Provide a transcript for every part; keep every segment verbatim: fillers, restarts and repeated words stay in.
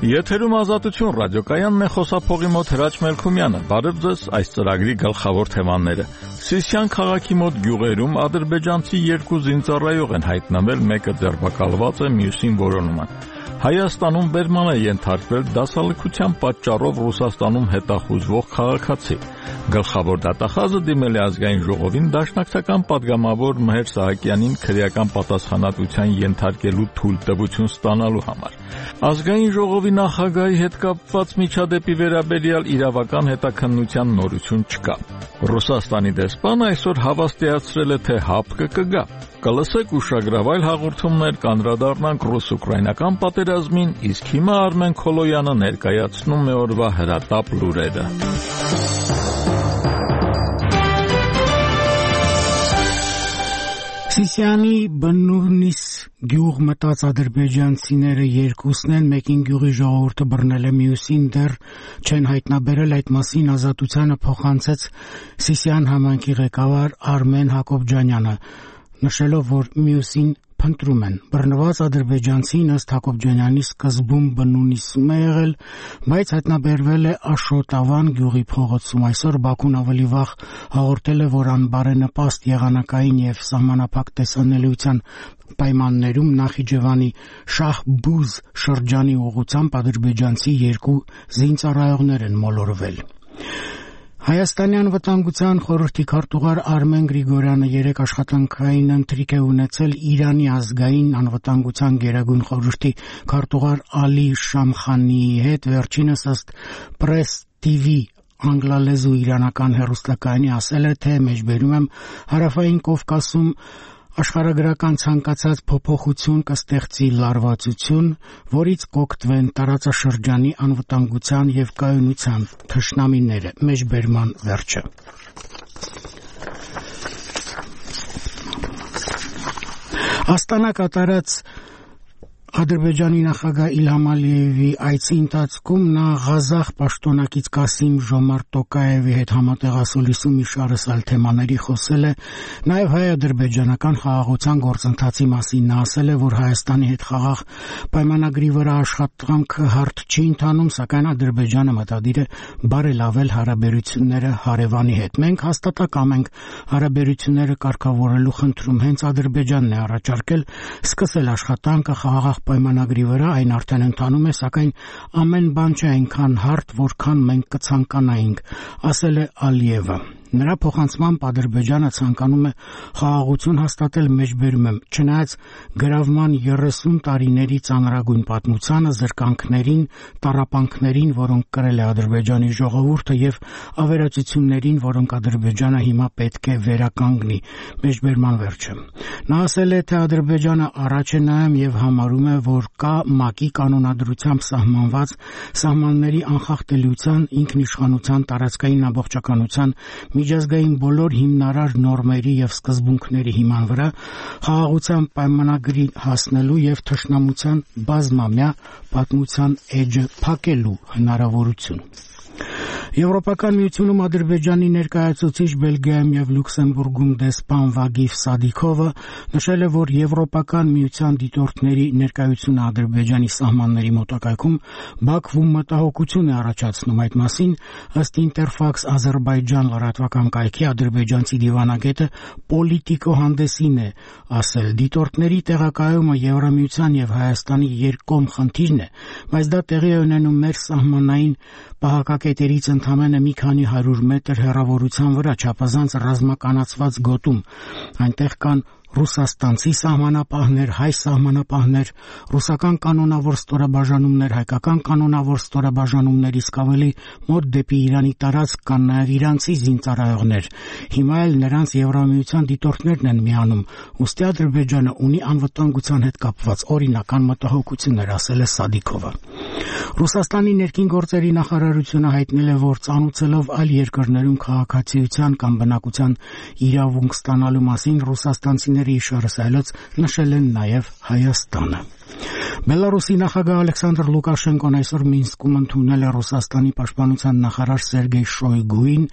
Եթերում Ազատություն ռադիոկայանն է, խոսափողի մոտ Հրաչ Մելքումյանը։ Բարև ձեզ, այս ծրագրի գլխավոր թեմաները։ Սիսիան քաղաքի մոտ գյուղերում ադրբեջանցի երկու զինծառայող են հայտնվել, մեկը ձերբակալված է, մյուսին որոնում են։ Հայաստանում բերման է ենթարկվել դասալքության պատճառով Ռուսաստանում հետախուզվող քաղաքացի։ Գլխավոր դատախազը դիմել է ազգային ժողովին դաշնակցական պատգամավոր Մհեր Սահակյանին քրեական պատասխանատվության ենթարկելու թույլտվություն ստանալու համար։ Ազգային ժողովի նախագահի հետ կապված միջադեպի վերաբերյալ իրավական հետաքննության նորություն չկա։ Ռուսաստանի դեսպանը այսօր հավաստիացրել է, թե հապկը կգա։ Կլսեք ուշագրավայր հաղորդումներ, կանդրադառնանք ռուս-ուկրաինական պատերազմին, իսկ հիմա Արմեն Քոլոյանը ներկայացնում է օրվա հրատապ լուրերը։ Սիսիանի բնունիս գյուղ մտած ադրբեջանցիները երկուսն են, մեկին գյուղի ժողովուրդը բռնել է, մյուսին դեռ չեն հայտնաբերել, այդ մասին Ազատությանը փոխանցեց Սիսիան համայնքի ղեկավար Արմեն Հակոբյանը, նշելով, որ մյուսին փնտրում են։ Բռնված ադրբեջանցին ըստ Հակոբյանի սկզբում բնունիսում է եղել, բայց հայտնաբերվել է Աշոտավան գյուղի փողոցում։ Այսօր Բաքուն ավելի վաղ հաղորդել է, որ անբարենպաստ եղանակային եւ սահմանափակ տեսանելիության պայմաններում Նախիջևանի Շահբուզ շրջանի ուղղությամբ ադրբեջանցի երկու զինծառայողներ են մոլորվել։ Հայաստանի անվտանգության խորհրդի քարտուղար Արմեն Գրիգորյանը երեք աշխատանքային ընթրիք է ունեցել Իրանի ազգային անվտանգության գերագույն խորհրդի քարտուղար Ալի Շամխանիի հետ, վերջինս ըստ Press T V անգլալեզու իրանական հեռուստակայանի ասել է, թե մեջբերում եմ Հարավային Կովկասում աշխարհագրական ցանկացած փոփոխություն կստեղծի լարվածություն, որից կօգտվեն տարածաշրջանի անվտանգության եւ կայունության թշնամիները։ Մեջբերման վերջը։ Աստանա կատարած Ադրբեջանի նախագահ Իլհամ Ալիևի այցի ընթացքում նա Ղազախ պաշտոնակից Կասիմ Ժոմարտ Տոկաևի հետ համատեղասուլիսում մի շարս այլ թեմաների խոսել է, նաև հայ-ադրբեջանական խաղաղության գործընթացի մասին նա ասել է, որ Հայաստանի հետ խաղաղ պայմանագրի վրա աշխատանքը հարթ չի ընթանում, սակայն Ադրբեջանը մտադիր է բարելավել հարաբերությունները հարևանի հետ։ Մենք հաստատակամ ենք հարաբերությունները կարգավորելու խնդրում, հենց Ադրբեջանն է առաջարկել սկսել աշխատանքը խաղաղ պայմանագրի վրա, այն արդեն ընթանում է, սակայն ամեն բան չէ այնքան հարթ, որքան մենք կցանկանայինք, ասել է Ալիևը։ Նրա փոխանցմամբ Ադրբեջանը ցանկանում է խաղաղություն հաստատել, մեջբերում եմ, չնայած գրավման երեսուն տարիների ծանրագույն պատմությանը, զրկանքներին, տառապանքներին, որոնք կրել է Ադրբեջանի ժողովուրդը եւ ավերածություններին, որոնք Ադրբեջանը հիմա պետք է վերականգնի, մեջբերման վերջը։ Նա ասել է, թե Ադրբեջանը առաջ է նայում եւ համարում է, որ կա ՄԱԿ-ի կանոնադրությամբ սահմանված սահմանների անխախտելիության, ինքնիշխանության, տարածքային ամբողջականության, միջազգային բոլոր հիմնարար նորմերի եւ սկզբունքների հիման վրա խաղաղության պայմանագրի հասնելու եւ թշնամության բազմամյա պատմության էջը փակելու հնարավորություն։ Եվրոպական միությունում Ադրբեջանի ներկայացուցիչ Բելգիայում եւ Լյուքսեմբուրգում դեսպան Վագիվ Սադիքովը նշել է, որ Եվրոպական միության դիտորդների ներկայությունը Ադրբեջանի սահմանների մոտակայքում Բաքվում մտահոգություն է առաջացնում։ Այդ մասին ըստ Ինտերֆաքս Ադրբեջան լրատվական կայքի ադրբեջանցի դիվանագետը Պոլիտիկո հանդեսին է ասել. դիտորդների տեղակայումը Եվրամիության եւ Հայաստանի երկկողմ խնդիրն է, բայց դա տեղի է ունենում մեր սահմանային պահակակետերից ընդամենը մի քանի հարյուր մետր հեռավորության վրա, չափազանց ռազմականացված գոտում։ Այնտեղ կան ռուսաստանցի սահմանապահներ, հայ սահմանապահներ, ռուսական կանոնավոր ստորաբաժանումներ, հայկական կանոնավոր ստորաբաժանումներ, իսկ ավելի մոտ դեպի Իրանի տարածք կան նաև իրանցի զինծառայողներ։ Հիմա էլ նրանց Եվրամիության դիտորդներն են միանում, ուստի Ադրբեջանը ունի անվտանգության հետ կապված օրինական մտահոգություններ, ասել է Սադիքովը։ Ռուսաստանի ներքին գործերի նախարարությունը հայտնել է, որ ծանուցելով այլ երկրներում քաղաքացիության կամ բնակության իրավունք ստանալու մասին ռուսաստանցիների իշարս այլոց նշել են նաև Հայաստանը։ Բելարուսի նախագահ Ալեքսանդր Լուկաշենկոն այսօր Մինսկում ընդունել է Ռուսաստանի պաշտպանության նախարար Սերգեյ Շոյգուին,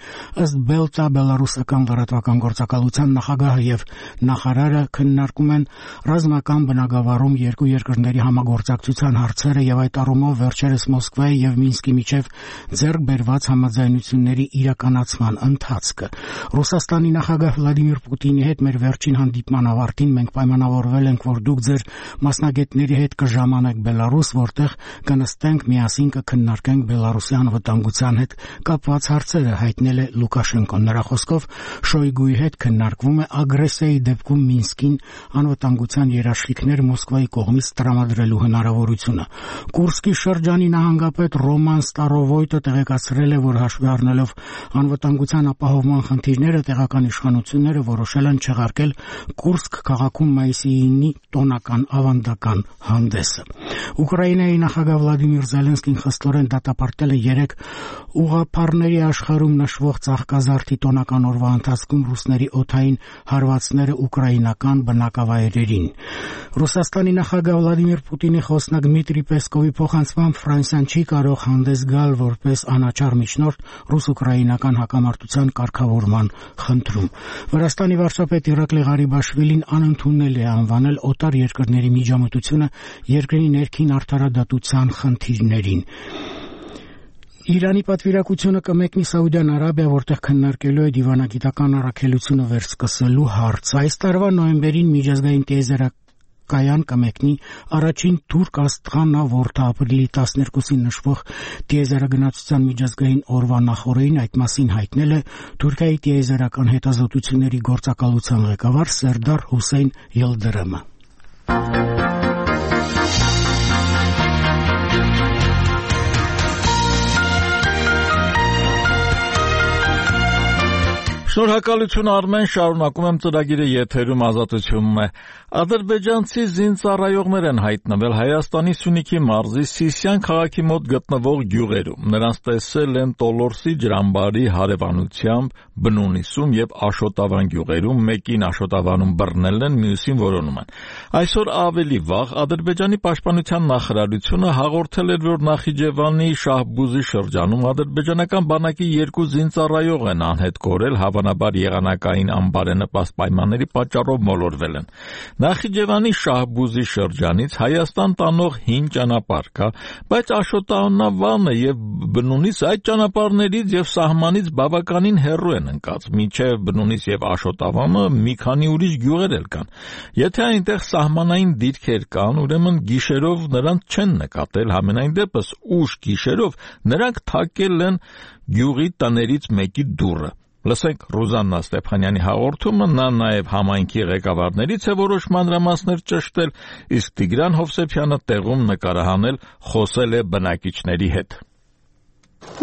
ըստ Բելտա բելարուսական լրատվական գործակալության նախագահը եւ նախարարը քննարկում են ռազմական բնագավառում երկու երկրների համագործակցության հարցերը եւ այդ առումով վերջերս Մոսկվայի եւ Մինսկի միջև ձեռք բերված համաձայնությունների իրականացման ընթացքը։ Ռուսաստանի նախագահ Վլադիմիր Պուտինի հետ մեր վերջին հանդիպման ավարտին մենք պայմանավորվել ենք, որ դուք ձեր մասնագետների հետ կժամանեք Բելարուս, որտեղ կնստենք միասին կքննարկենք Բելարուսի անվտանգության հետ կապված հարցերը, հայտնել է Լուկաշենկոն։ Նրա խոսքով Շոյգուի հետ քննարկվում է ագրեսիայի դեպքում Մինսկին անվտանգության երաշխիքներ Մոսկվայի կողմից տրամադրելու հնարավորությունը։ Կուրսկի շրջանի նահանգապետ Ռոման Ստարովոյտը տեղեկացրել է, որ հաշվի առնելով անվտանգության ապահովման խնդիրները, տեղական իշխանությունները որոշել են չեղարկել Կուրսկ քաղաքում մայիսի ինի տոնական ավանդական հանդեսը։ Ուկրաինայի նախագահ Վլադիմիր Զելենսկին խստորեն դատապարտել է երեք ուղղափառների աշխարհում նշվող ծաղկազարդի տոնական օրվա ընթացքում ռուսների օդային հարվածները ուկրաինական բնակավայրերին։ Ռուսաստանի նախագահ Վլադիմիր Պուտինի խոսնակ Դմիտրի Պեսկովի փոխանցմամբ Ֆրանսիան չի կարող հանդես գալ որպես անաչառ միջնորդ ռուս-ուկրաինական հակամարտության կարգավորման խնդրում։ Վրաստանի վարչապետ Իրակլի Ղարիբաշվիլին անընդունել է անվանել օտար երկրների միջամտությունը երկրի ներքին արդարադատության խնդիրներին։ Իրանի պատվիրակությունը կմեկնի Սաուդյան Արաբիա, որտեղ քննարկելու է դիվանագիտական առաքելությունը վերսկսելու հարց։ Այս տարվա նոյեմբերին միջազգային տիեզերական կմեկնի առաջին թուրք աստղանավորթը ապրիլի տասներկուսին նշվող տիեզերագնացության միջազգային օրվա նախօրեին այդ մասին հայտնել է Թուրքիայի տիեզերական հետազոտությունների գործակալության ղեկավար Սերդար Հուսեյն Յիլդրիմը։ Շնորհակալություն Արմեն, շարունակում եմ ծրագիրը եթերում ազատությունում է։ Ադրբեջանցի զինծառայողներ են հայտնվել Հայաստանի Սյունիքի մարզի Սիսիան քաղաքի մոտ գտնվող գյուղերում։ Նրանց տեսել են Տոլորսի ջրամբարի հարևանությամբ, Բնունիսում եւ Աշոտավան գյուղերում, մեկին Աշոտավանում բռնել են, մյուսին որոնում են։ Այսօր ավելի վաղ Ադրբեջանի պաշտպանության նախարարությունը հաղորդել էր, որ Նախիջևանի Շահբուզի շրջանում ադրբեջանական բանակի երկու զինծառայող են անհետ կորել, հավանաբար եղանակային անբարենպաստ պայմանների պատճառով մոլորվել են։ Նախիջևանի Շահբուզի շրջանից Հայաստան տանող հին ճանապարհ կա, բայց Աշոտավանը եւ Բնունիս այդ ճանապարհներից եւ սահմանից բավականին հեռու են ընկած, մինչեւ Բնունիս եւ Աշոտավանը մի քանի ուրիշ գյուղեր էլ կան։ Եթե այնտեղ սահմանային դիրքեր կան, ուրեմն գիշերով նրանց չեն նկատել, համենայն դեպս ուշ գիշերով նրանք թակել են գյուղի տներից մեկի դուռը։ Լսենք Ռուզաննա Ստեփանյանի հաղորդումը, նա նաև համայնքի ղեկավարներից է որոշ մանրամասներ ճշտել, իսկ Տիգրան Հովսեփյանը տեղում նկարահանել, խոսել է բնակիչների հետ։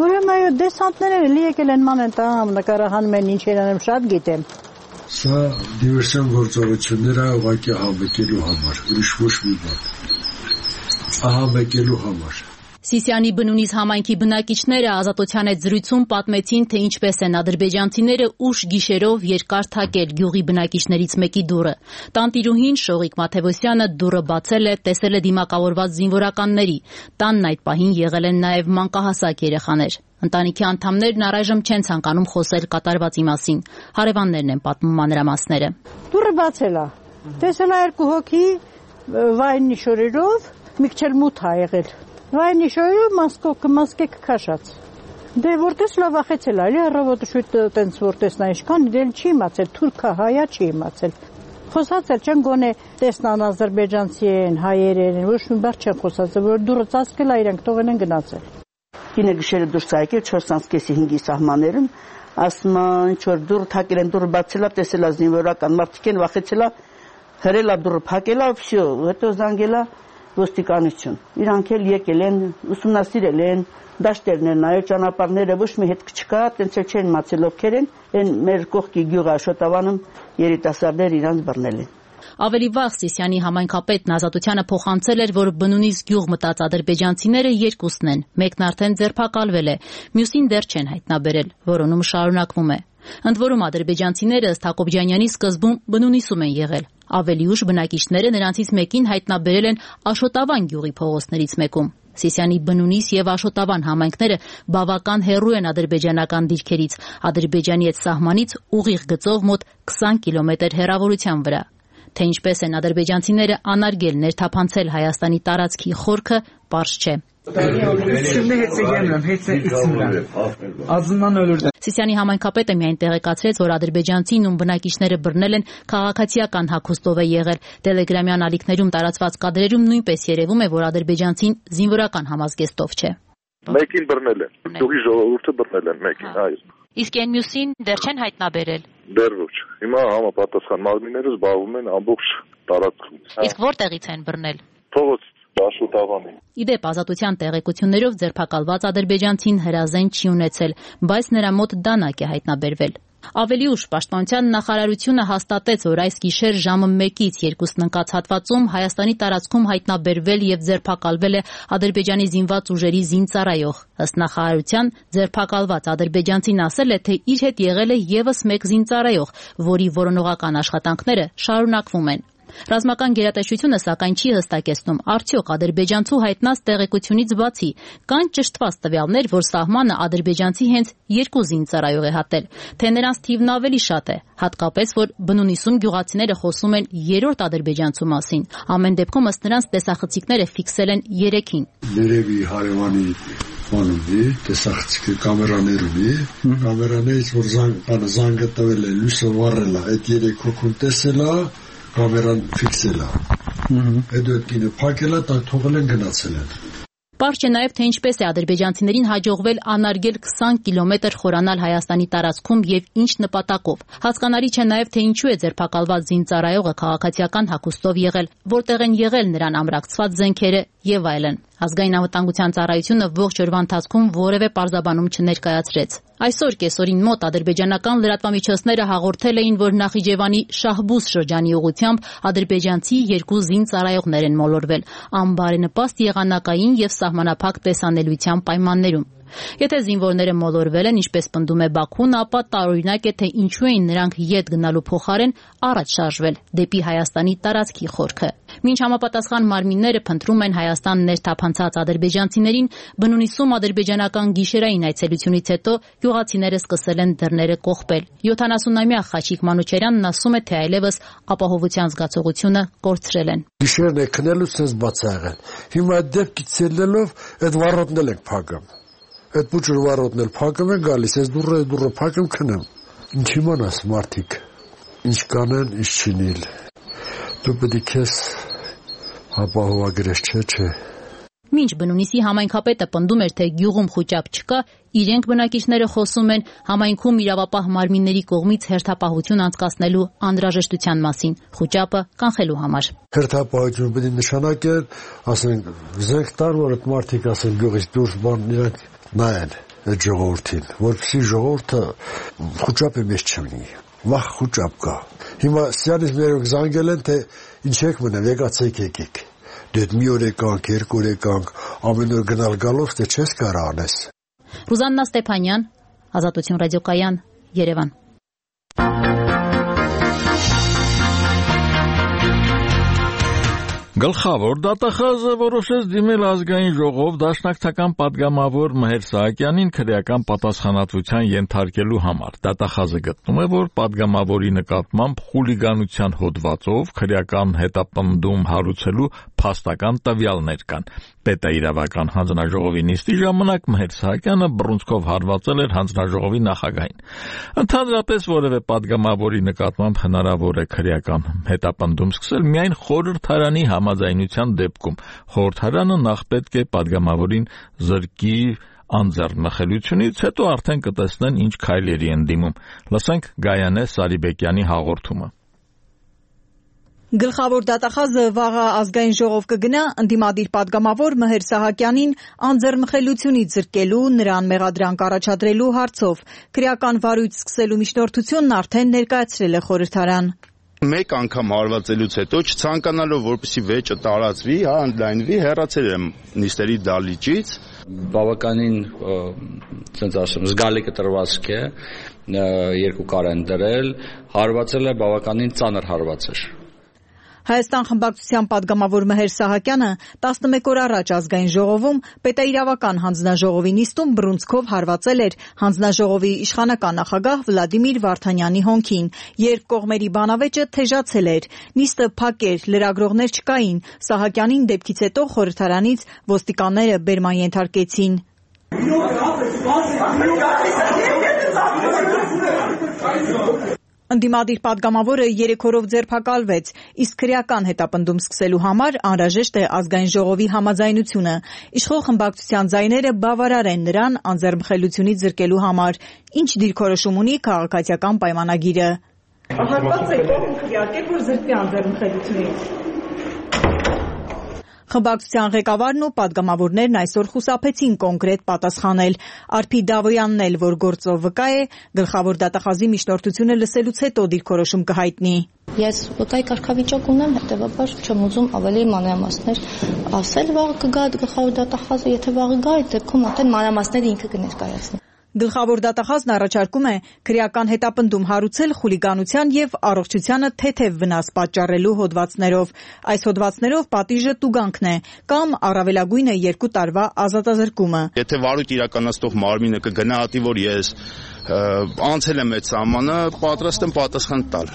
Ուրեմն այո, դեսանտները լի եկել են ման են տամ, նկարահանում են, ինչ են շատ գիտեմ։ Սա դիվերսիոն գործողություններ է ուղղակի հավաքելու համար, ուրիշ ոչ մի բան։ Ահավաքելու համար։ Սիսիանի Բնունիս համայնքի բնակիչները ազատության այդ զրույցում պատմեցին, թե ինչպես են ադրբեջանցիները ուշ գիշերով երկար թակել գյուղի բնակիչներից մեկի դուռը։ Տանտիրուհին Շողիկ Մաթևոսյանը դուռը բացել է, տեսել է դիմակավորված զինվորականների։ Տանն այդ պահին եղել են նաև մանկահասակ երեխաներ։ Ընտանիքի անդամներն առայժմ չեն ցանկանում խոսել կատարվածի մասին։ Հարևաններն են պատմում մանրամասները։ Դուռը բացել է։ Տեսել է երկու հոգի վայնի շորերով, մի քիչ մութ ա եղել։ Վայնի շորերով մասկոկը մասկեք քաշած։ Դե որտես լավ ախեցել, այլ առավոտը շուտ տենց որտեսնա ինչքան դել չի իմացել, թուրքա հայա չի իմացել։ Խոսած էլ չեն գոնե տեսնան ադրբեջանցի են, հայեր են, ոչ մի բառ չեն խոսած, որ դուրը ծածկել ա իրանք տողեն են գնացել։ Կինը գիշերը դուրս ա եկել չորսանցկեսի հինգի սահմաններում, ասում ինչ որ դուռ թակել են, դուռը բացել ա, տեսել ա զինվորական մարդիկ են, վախեցել ա, հրել ա դուռը փակել ա, վсё, հետո զանգել ա ոստիկանություն։ Իրանք էլ եկել են, ուսումնասիրել են, դաշտերն են նայել, ճանապարհները ոչ մի հետք չկա, տենց էլ չեն մացել ովքեր են, այն մեր կողքի գյուղը Աշոտավանում երիտասարդներ իրանց բռնել են։ Ավելի վաղ Սիսիանի համայնքապետն ազատությանը փոխանցել էր, որ Բնունիս գյուղ մտած ադրբեջանցիները երկուսն են, մեկն արդեն ձերբակալվել է, մյուսին դեռ չեն հայտնաբերել, որոնումը շարունակվում է։ Ընդ որում ադրբեջանցիները ըստ Հակոբյանյանի սկզբում Բնունիսում են եղել, Ավելի ուշ բնակիչները նրանցից մեկին հայտնաբերել են Աշոտավան գյուղի փողոցներից մեկում։ Սիսիանի Բնունիս եւ Աշոտավան համայնքները բավական հեռու են ադրբեջանական դիրքերից, Ադրբեջանի հետ սահմանից ուղիղ գծով մոտ քսան կիլոմետր հեռավորության վրա։ Թե ինչպես են ադրբեջանցիները անարգել ներթափանցել Հայաստանի տարածքի խորքը, պարզ չէ։ Սիսիանի համայնքապետը միայն տեղեկացրեց, որ ադրբեջանցին, ում բնակիչները բռնել են, քաղաքացիական հագուստով է եղել։ Տելեգրամյան ալիքներում տարածված կադրերում նույնպես երևում է, որ ադրբեջանցին զինվորական համազգեստով չէ։ Մեկին բռնել են, գյուղի ժողովուրդը բռնել են մեկին, այո։ Իսկ այն մյուսին դեռ չեն հայտնաբերել։ Դեռ ոչ։ Հիմա համապատասխան մարմինները զբաղվում են ամբողջ տարածքում։ Իսկ որտեղից են բռնել։ Փողոց Աշոտավանի։ Իդեպ ազատության տեղեկություններով ձերբակալված ադրբեջանցին հրազեն չի ունեցել, բայց նրա մոտ դանակ է հայտնաբերվել։ Ավելի ուշ Պաշտպանության նախարարությունը հաստատեց, որ այս գիշեր ժամը մեկից երկուսն ընկած հատվածում Հայաստանի տարածքում հայտնաբերվել եւ ձերբակալվել է Ադրբեջանի զինված ուժերի զինծառայող։ Ըստ նախարարության, ձերբակալված ադրբեջանցին ասել է, թե իր հետ եղել է եւս մեկ զինծառայող, որի որոնողական աշխատանքները շարունակվում են։ Ռազմական գերատեսչությունը սակայն չի հստակեցնում, արդյոք ադրբեջանցու հայտնած տեղեկությունից բացի կան ճշտված տվյալներ, որ սահմանը ադրբեջանցի հենց երկու զինծառայող է հատել, թե նրանց թիվն ավելի շատ է, հատկապես որ Բնունիսում գյուղացիները խոսում են երրորդ ադրբեջանցու մասին։ Ամեն դեպքում ըստ նրանց տեսախցիկները ֆիքսել են երեքին։ Երևի հարևանի Մանուի տեսախցիկը կամերաներում է, կամերաներից որ զանգ զանգը տվել է, լույսը վառել է, այդ երեք հոգուն տեսել է, կամերան ֆիքսել է։ Այդ դեպքինը փակել է, տակ թողել են գնացել են։ Պարզ չէ նաև, թե ինչպես է ադրբեջանցիներին հաջողվել անարգել քսան կիլոմետր խորանալ Հայաստանի տարածքում եւ ինչ նպատակով։ Հասկանալի չէ նաև, թե ինչու է ձերբակալված զինծառայողը քաղաքացիական հագուստով եղել, որտեղ են եղել նրան ամրակցված զենքերը եւ այլն։ Ազգային անվտանգության ծառայությունը ողջ օրվա ընթացքում որևէ պարզաբանում չներկայացրեց։ Այսօր կեսօրին մոտ ադրբեջանական լրատվամիջոցները հաղորդել էին, որ Նախիջևանի Շահբուզ շրջանի ուղղությամբ ադրբեջանցի երկու զինծառայողներ են մոլորվել անբարենպաստ եղանակային եւ սահմանափակ տեսանելիության պայմաններում։ Եթե զինվորները մոլորվել են, ինչպես պնդում է Բաքուն, ապա տարօրինակ է, թե ինչու էին նրանք ետ գնալու փոխարեն առաջ շարժվել դեպի Հայաստանի տարածքի խորքը։ Մինչ համապատասխան մարմինները փնտրում են Հայաստան ներթափանցած ադրբեջանցիներին, Բնունիսում ադրբեջանական գիշերային այցելությունից հետո գյուղացիները սկսել են դռները կողպել։ յոթանասունամյա Խաչիկ Մանուչարյանն ասում է, թե այլևս ապահովության զգացողությունը կորցրել են։ Գիշերն է քնելուց sense բաց է եղել։ Հիմա այդ դեպքից ելնելով այդ վառոդն էլ ենք փակում։ Այդ փուչը վառոդն էլ փակում են գալիս, այս դուրը դուրը փակում քնեմ։ Ինչ իմանաս մարդիկ։ Ինչ կանեն, ինչ չինիլ։ Դու պետք է քեզ ապահովագրես, չէ, չէ։ Մինչ Բնունիսի համայնքապետը պնդում էր, թե գյուղում խուճապ չկա, իրենք բնակիչները խոսում են համայնքում իրավապահ մարմինների կողմից հերթապահություն անցկացնելու անհրաժեշտության մասին, խուճապը կանխելու համար։ Հերթապահություն պետք է նշանակել, ասենք, զենք տան, որ այդ մարդիկ ասեն գյուղից դուրս բան իրանք նայեն այդ ժողովրդին, որպեսզի ժողովուրդը խուճապի մեջ չմնի։ Վախ խուճապ կա։ Հիմա սյանից մերոք զանգել են, թե ինչ եք մնեմ, եկացեք եկեք։ Դեդ մի օր եկանք, երկու օր եկանք, ամեն օր գնալ գալով, թե չես կարող անես։ Ռուզաննա Ստեփանյան, Ազատություն ռադիոկայան, Երևան։ Գլխավոր դատախազը որոշեց դիմել ազգային ժողով դաշնակցական պատգամավոր Մհեր Սահակյանին քրեական պատասխանատվության ենթարկելու համար։ Դատախազը գտնում է, որ պատգամավորի նկատմամբ խուլիգանության հոդվածով քրեական հետապնդում հարուցելու փաստական տվյալներ կան։ Պետաիրավական հանձնաժողովի նիստի ժամանակ Մհեր Սահակյանը բռունցքով հարվածել էր հանձնաժողովի նախագահին։ Ընդհանրապես որևէ պատգամավորի նկատմամբ հնարավոր է քրեական հետապնդում սկսել միայն խորհրդարանի համաձայնության դեպքում։ Խորհրդարանը նախ պետք է պատգամավորին զրկի անձեռնխելությունից, հետո արդեն կտեսնեն ինչ քայլերի են դիմում։ Լսենք Գայանե Սարիբեկյանի հաղորդումը։ Գլխավոր դատախազը վաղը ազգային ժողով կգնա ընդդիմադիր պատգամավոր Մհեր Սահակյանին անձեռնխելությունից զրկելու, նրան մեղադրանք առաջադրելու հարցով։ Քրեական վարույթ սկսելու միջնորդությունն արդեն ներկայացրել է խորհրդարան։ Մեկ անգամ հարվածելուց հետո չցանկանալով որպեսի վեճը տարածվի, հա, ընդլայնվի, հեռացել եմ նիստերի դալիճից։ Բավականին, ասենց ասեմ, զգալի կտրվածք է, երկու կար են դրել, հարվածել է բավականին ծանր հարված էր։ Հայաստան խմբակցության պատգամավոր Մհեր Սահակյանը տասնմեկ օր առաջ ազգային ժողովում պետաիրավական հանձնաժողովի նիստում բռունցքով հարվածել էր հանձնաժողովի իշխանական նախագահ Վլադիմիր Վարդանյանի հոնքին, երբ կողմերի բանավեճը թեժացել էր։ Նիստը փակ էր, լրագրողներ չկային։ Սահակյանին դեպքից հետո խորհրդարանից ոստիկանները բերման ենթարկեցին։ Ընդդիմադիր պատգամավորը երեք օրով ձերբակալվեց, իսկ քրեական հետապնդում սկսելու համար անհրաժեշտ է ազգային ժողովի համաձայնությունը։ Իշխող խմբակցության ձայները բավարար են նրան անձեռմխելությունից զրկելու համար։ Ինչ դիրքորոշում ունի քաղաքացիական պայմանագիրը։ Հատված է կողմ քրեակել, որ զրկի անձեռմխելությունից։ Խմբակցության ղեկավարն ու պատգամավորներն այսօր խուսափեցին կոնկրետ պատասխանել։ Արփի Դավոյանն էլ, որ գործով վկա է, գլխավոր դատախազի միջնորդությունը լսելուց հետո դիրքորոշում կհայտնի։ Ես վկայի կարգավիճակ ունեմ, հետևաբար չեմ ուզում ավելի մանրամասներ ասել, վաղը կգա գլխավոր դատախազը, եթե վաղը գա, այդ դեպքում արդեն մանրամասները ինքը կներկայացնի։ Գլխավոր դատախազն առաջարկում է քրեական հետապնդում հարուցել խուլիգանության եւ առողջությանը թեթև վնաս պատճառելու հոդվածներով։ Այս հոդվածներով պատիժը տուգանքն է կամ առավելագույնը երկու տարվա ազատազրկումը։ Եթե վարույթ իրականացնող մարմինը կգնահատի, որ ես անցել եմ այդ սահմանը, պատրաստ եմ պատասխան տալ։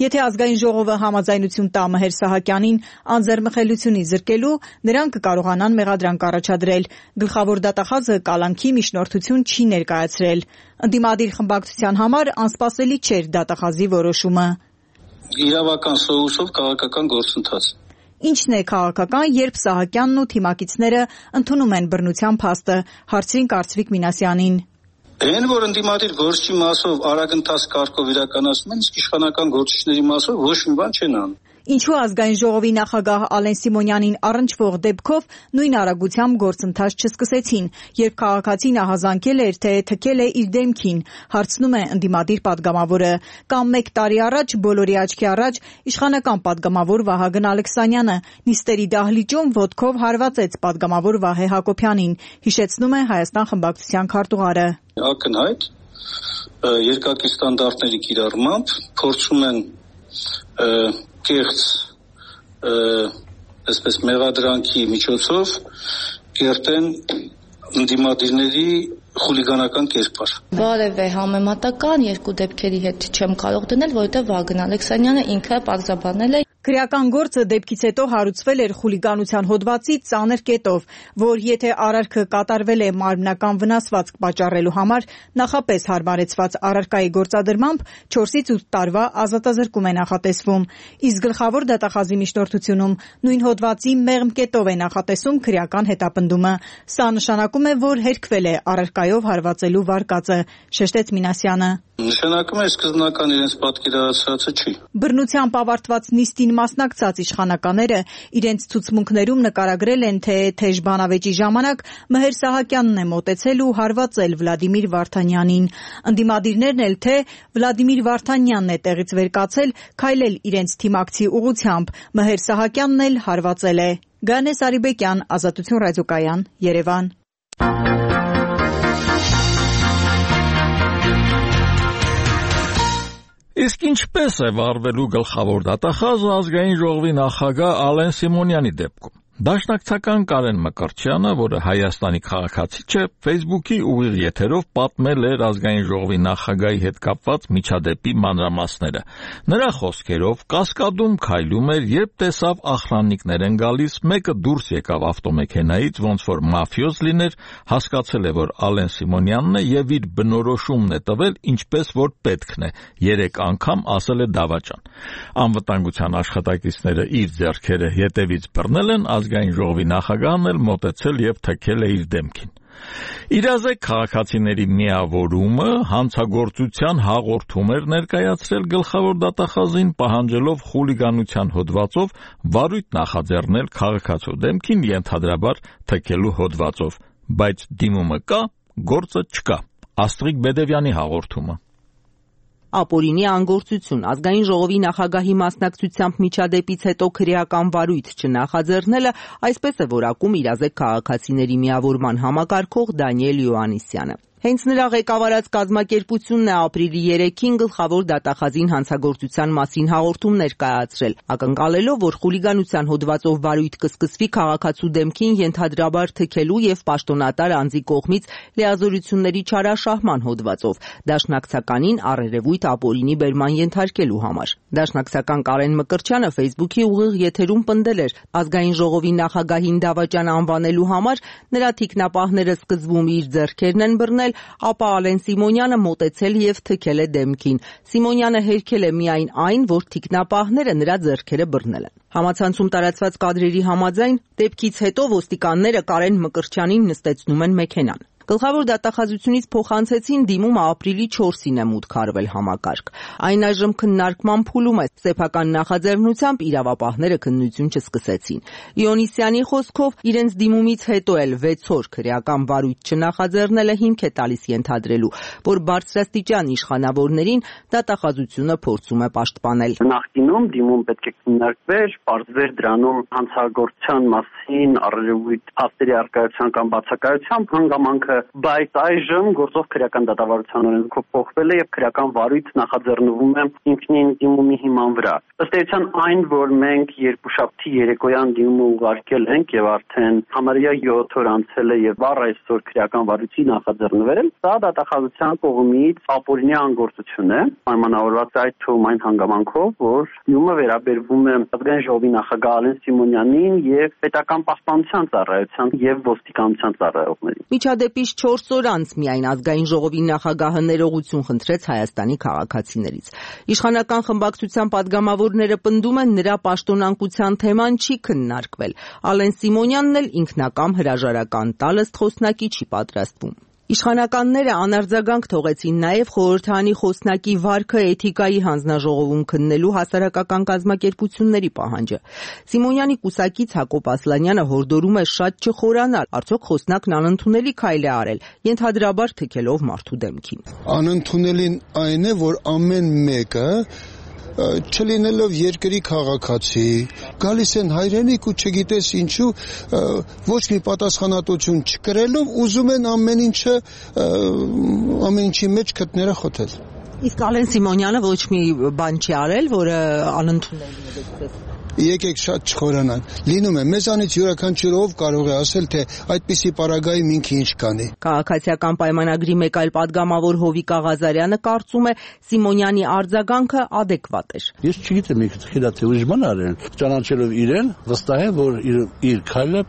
Եթե ազգային ժողովը համաձայնություն տա Մհեր Սահակյանին անձեռմխելությունից զրկելու, նրանք կկարողանան մեղադրանք առաջադրել։ Գլխավոր դատախազը կալանքի միջնորդություն չի ներկայացրել։ Ընդդիմադիր խմբակցության համար անսպասելի չէր դատախազի որոշումը։ Իրավական սովուսով քաղաքական գործընթաց։ Ինչն է քաղաքական, երբ Սահակյանն ու թիմակիցները ընդունում են բռնության փաստը, հարցրին Կարծվիկ Մինասյանին։ Այն, որ ընդդիմադիր գործչի մասով արագընթաց կարգով իրականացնում են, իսկ իշխանական գործիչների մասով ոչ մի բան չեն անում։ Ինչու ազգային ժողովի նախագահ Ալեն Սիմոնյանին առնչվող դեպքով նույն արագությամբ գործընթաց չսկսեցին, երբ քաղաքացին ահազանգել էր, թե թքել է իր դեմքին, հարցնում է ընդդիմադիր պատգամավորը։ Կամ մեկ տարի առաջ, բոլորի աչքի առաջ, իշխանական պատգամավոր Վահագն Ալեքսանյանը նիստերի դահլիճում ոտքով հարվածեց պատգամավոր Վահե Հակոբյանին, հիշեցնում է Հայաստան խմբակցության քարտուղարը։ Ակնհայտ երկակի ստանդարտների կիրառմամբ փորձում են կեղծ այսպես մեղադրանքի միջոցով կերտեն ընդդիմադիրների խուլիգանական կերպար։ Որևէ համեմատական երկու դեպքերի հետ չեմ կարող դնել, որովհետև Վահգն Ալեքսանյանը ինքը պարզաբանել է։ Քրեական գործը դեպքից հետո հարուցվել էր խուլիգանության հոդվածի ծանր կետով, որ եթե արարքը կատարվել է մարմնական վնասվածք պատճառելու համար, նախապես հարմարեցված առարկայի գործադրմամբ չորսից ութ տարվա ազատազրկում է նախատեսվում, իսկ գլխավոր դատախազի միջնորդությունում նույն հոդվածի մեղմ կետով է նախատեսում քրեական հետապնդումը։ Սա նշանակում է, որ հերքվել է առարկայով հարվածելու վարկածը, շեշտեց Մինասյանը։ Նշանակում է սկզբնական իրենց պատկերացրածը չի։ Բռնությամբ ավարտված նիստին մասնակցած իշխանականները իրենց ցուցմունքներում նկարագրել են, թե թեժ բանավեճի ժամանակ Մհեր Սահակյանն է մոտեցել ու հարվածել Վլադիմիր Վարդանյանին։ Ընդդիմադիրներն էլ թե Վլադիմիր Վարդանյանն է տեղից վեր կացել, քայլել իրենց թիմակցի ուղղությամբ, Մհեր Սահակյանն էլ հարվածել է։ Գանե Սարիբեկյան, Ազատություն ռադիոկայան, Երևան։ Իսկ ինչպես է վարվելու գլխավոր դատախազը ազգային ժողովի նախագահ Ալեն Սիմոնյանի դեպքում։ Դաշնակցական Կարեն Մկրտչյանը, որը Հայաստանի քաղաքացի չէ, Facebook-ի ուղիղ եթերով պատմել էր ազգային ժողովի նախագահի հետ կապված միջադեպի մանրամասները։ Նրա խոսքերով կասկադում քայլում էր, երբ տեսավ ախրաննիկներ են գալիս, մեկը դուրս եկավ ավտոմեքենայից, ոնց որ մաֆիոզ լիներ, հասկացել է, որ Ալեն Սիմոնյանն է եւ իր բնորոշումն է տվել, ինչպես որ պետքն է, երեք անգամ ասել է դավաճան։ Անվտանգության աշխատակիցները իր ձեռքերը ետևից բռնել են, ազգային ժողովի նախագահն էլ մոտեցել եւ թքել է իր դեմքին։ Իրազեկ քաղաքացիների միավորումը հանցագործության հաղորդում էր ներկայացրել գլխավոր դատախազին, պահանջելով խուլիգանության հոդվածով վարույթ նախաձեռնել քաղաքացու դեմքին, ենթադրաբար թքելու հոդվածով, բայց դիմումը կա, գործը չկա։ Աստղիկ Բեդևյանի հաղորդումը։ Ապօրինի անգործություն, ազգային ժողովի նախագահի մասնակցությամբ միջադեպից հետո քրեական վարույթ չնախաձեռնելը, այսպես է որակում իրազեկ քաղաքացիների միավորման համակարգող Դանիել Յոհաննիսյանը։ Հենց նրա ղեկավարած կազմակերպությունն է ապրիլի երեքին գլխավոր դատախազին հանցագործության մասին հաղորդումներ կայացրել, ակնկալելով, որ խուլիգանության հոդվածով վարույթ կսկսվի քաղաքացու դեմքին ենթադրաբար թքելու եւ պաշտոնատար անձի կողմից լիազորությունների չարաշահման հոդվածով, դաշնակցականին առերևույթ ապօրինի բերման ենթարկելու համար։ Դաշնակցական Կարեն Մկրտչյանը Facebook-ի ուղիղ եթերում պնդել էր, ազգային ժողովի նախագահին դավաճան անվանելու համար նրա թիկնապահները սկզբում իր ձեռքերն են բռնել, ապա Ալեն Սիմոնյանը մոտեցել եւ թքել է դեմքին։ Սիմոնյանը հերքել է միայն այն, որ թիկնապահները նրա ձեռքերը բռնել են։ Համացանցում տարածված կադրերի համաձայն դեպքից հետո ոստիկանները Կարեն Մկրտչյանին նստեցնում են մեքենան։ Գլխավոր դատախազությունից փոխանցեցին դիմումը ապրիլի չորսին է մուտք արվել համակարգ։ Այն այժմ քննարկման փուլում է, սեփական նախաձեռնությամբ իրավապահները քննություն չսկսեցին։ Իոնիսյանի խոսքով իրենց դիմումից հետո էլ վեց օր քրեական վարույթ չնախաձեռնելը հիմք է տալիս ենթադրելու, որ բարձրաստիճան իշխանավորներին դատախազությունը փորձում է պաշտպանել։ Նախկինում դիմում պետք է քննարկվեր, պարզվեր դրանում հանցագործության մասին առերևույթ փաստերի առկայության կամ բացակայությամբ հանգամանքը, բայց այժմ գործող քրեական դատավարության օրենքով փոխվել է եւ քրեական վարույթ նախաձեռնվում է ինքնին դիմումի հիման վրա։ Ըստ էության այն, որ մենք երկուշաբթի երեկոյան դիմումը ուղարկել ենք եւ արդեն համարյա յոթ օր անցել է եւ առ այսօր քրեական վարույթի նախաձեռնվել, սա դատախազության կողմից ապօրինի անգործություն է, պայմանավորված այդ թվում այն հանգամանքով, որ դիմումը վերաբերվում է ազգային ժողովի նախագահ Ալեն Սիմոնյանին եւ պետական պաշտպանության ծառայության եւ ոստիկանության ծառայողներին։ Միջադեպից չորս օր անց միայն ազգային ժողովի նախագահը ներողություն խնդրեց Հայաստանի քաղաքացիներից։ Իշխանական խմբակցության падգամավորները պնդում են, նրա պաշտոնանկության թեման չի քննարկվել։ Ալեն Սիմոնյանն էլ ինքնակամ հրաժարական տալ ըստ խոսնակի չի պատրաստվում։ Իշխանականները անարձագանք թողեցին նաև խորհրդարանի խոսնակի վարքը էթիկայի հանձնաժողովում քննելու հասարակական կազմակերպությունների պահանջը։ Սիմոնյանի կուսակից Հակոբ Ասլանյանը հորդորում է շատ չխորանալ, արդյոք խոսնակն անընդունելի քայլ է արել, ենթադրաբար թքելով մարդու դեմքին։ Անընդունելին այն է, որ ամեն մեկը չլինելով երկրի քաղաքացի, գալիս են հայրենիք ու չգիտես ինչու ոչ մի պատասխանատվություն չկրելով ուզում են ամեն ինչը ամեն ինչի մեջ քթները խոթել։ Իսկ Ալեն Սիմոնյանը ոչ մի բան չի արել, որը անընդունելի է։ Եկեք շատ չխորանանք։ Լինում է մեզանից յուրաքանչյուր ով կարող է ասել, թե այդպիսի պարագայում ինքը ինչ կանի։ Քաղաքացիական պայմանագրի մեկ այլ падգամավոր Հովիկ Աղազարյանը կարծում է Սիմոնյանի արձագանքը adekvat էր։ Ես չգիտեմ ինքը թխիլա թե ուրիշ բան արել, ճանաչելով իրեն, վստահ եմ, որ իր իր քայլը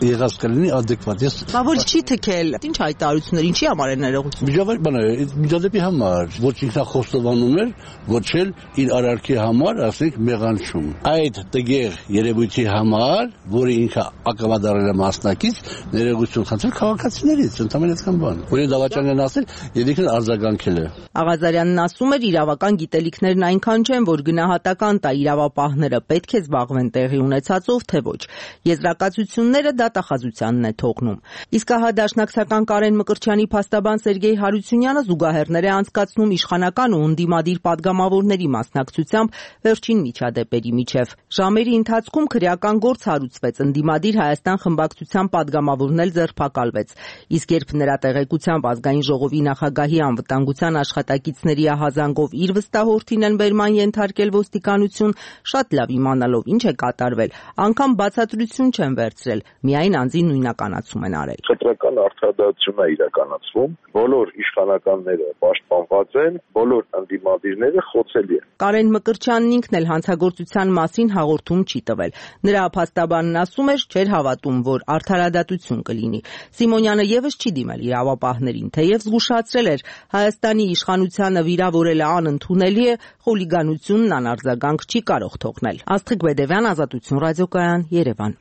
եղած կլինի adekvat։ Ես Բա որ չի թքել։ Ինչ հայտարարություններ, ինչի համար է ներողություն։ Միջավայր բան է, միջադեպի համար, ոչ ինքնախոստովանում էր, ոչ էլ իր արարքի համար, ասենք մեղանչում։ Այդ տգեղ երևույթի համար, որը ինքը ակամադարել է մասնակից, ներողություն խնդրել քաղաքացիներից, ընդամենը այդքան բան։ Որին դավաճան են ասել, եւ ինքն արձագանքել է։ Աղազարյանն ասում էր, իրավական գիտելիքներն այնքան չեն, որ գնահատական տա իրավապահները պետք է զբաղվեն տեղի ունեցածով, թե ոչ։ Եզրակացությունները դատախազությանն է թողնում։ Իսկ ահա դաշնակցական Կարեն Մկրտչյանի փաստաբան Սերգեյ Հարությունյանը զուգահեռներ է անցկացնում իշխանական ու ընդդիմադիր падգամավորների մասնակցությամբ վերջին միջադեպերի միջև։ Ժամերի ընթացքում քրեական գործ հարուցվեց, ընդդիմադիր Հայաստան խմբակցության падգամավորն էլ ձերբակալվեց։ Իսկ երբ նրա տեղեկությամբ ազգային ժողովի նախագահի անվտանգության աշխատակիցների ահազանգով իր վստահորդին են բերման ենթարկել ոստիկանություն, շատ լավ իմանալով ինչ է կատարվել, անգամ բացատրություն չեն վերցրել, միայն անձի նույնականացում են արել։ Խտրական արդարադատություն է իրականացվում, բոլոր իշխանականները պաշտպանված են, բոլոր ընդդիմադիրները խոցելի են։ Կարեն Մկրտչյանն ինքն էլ հանցագործության մասին հաղորդում չի տվել։ Նրա փաստաբանն ասում էր, չէր հավատում, որ արդարադատություն կլինի։ Սիմոնյանը եւս չի դիմել իրավապահներին, թեև զգուշացրել էր, Հայաստանի իշխանությանը վիրավորելը անընդունելի է, խուլիգանությունն անարձագանք չի կարող թողնել։ Աստղիկ Բեդևյան, Ազատություն ռադիոկայան, Երևան։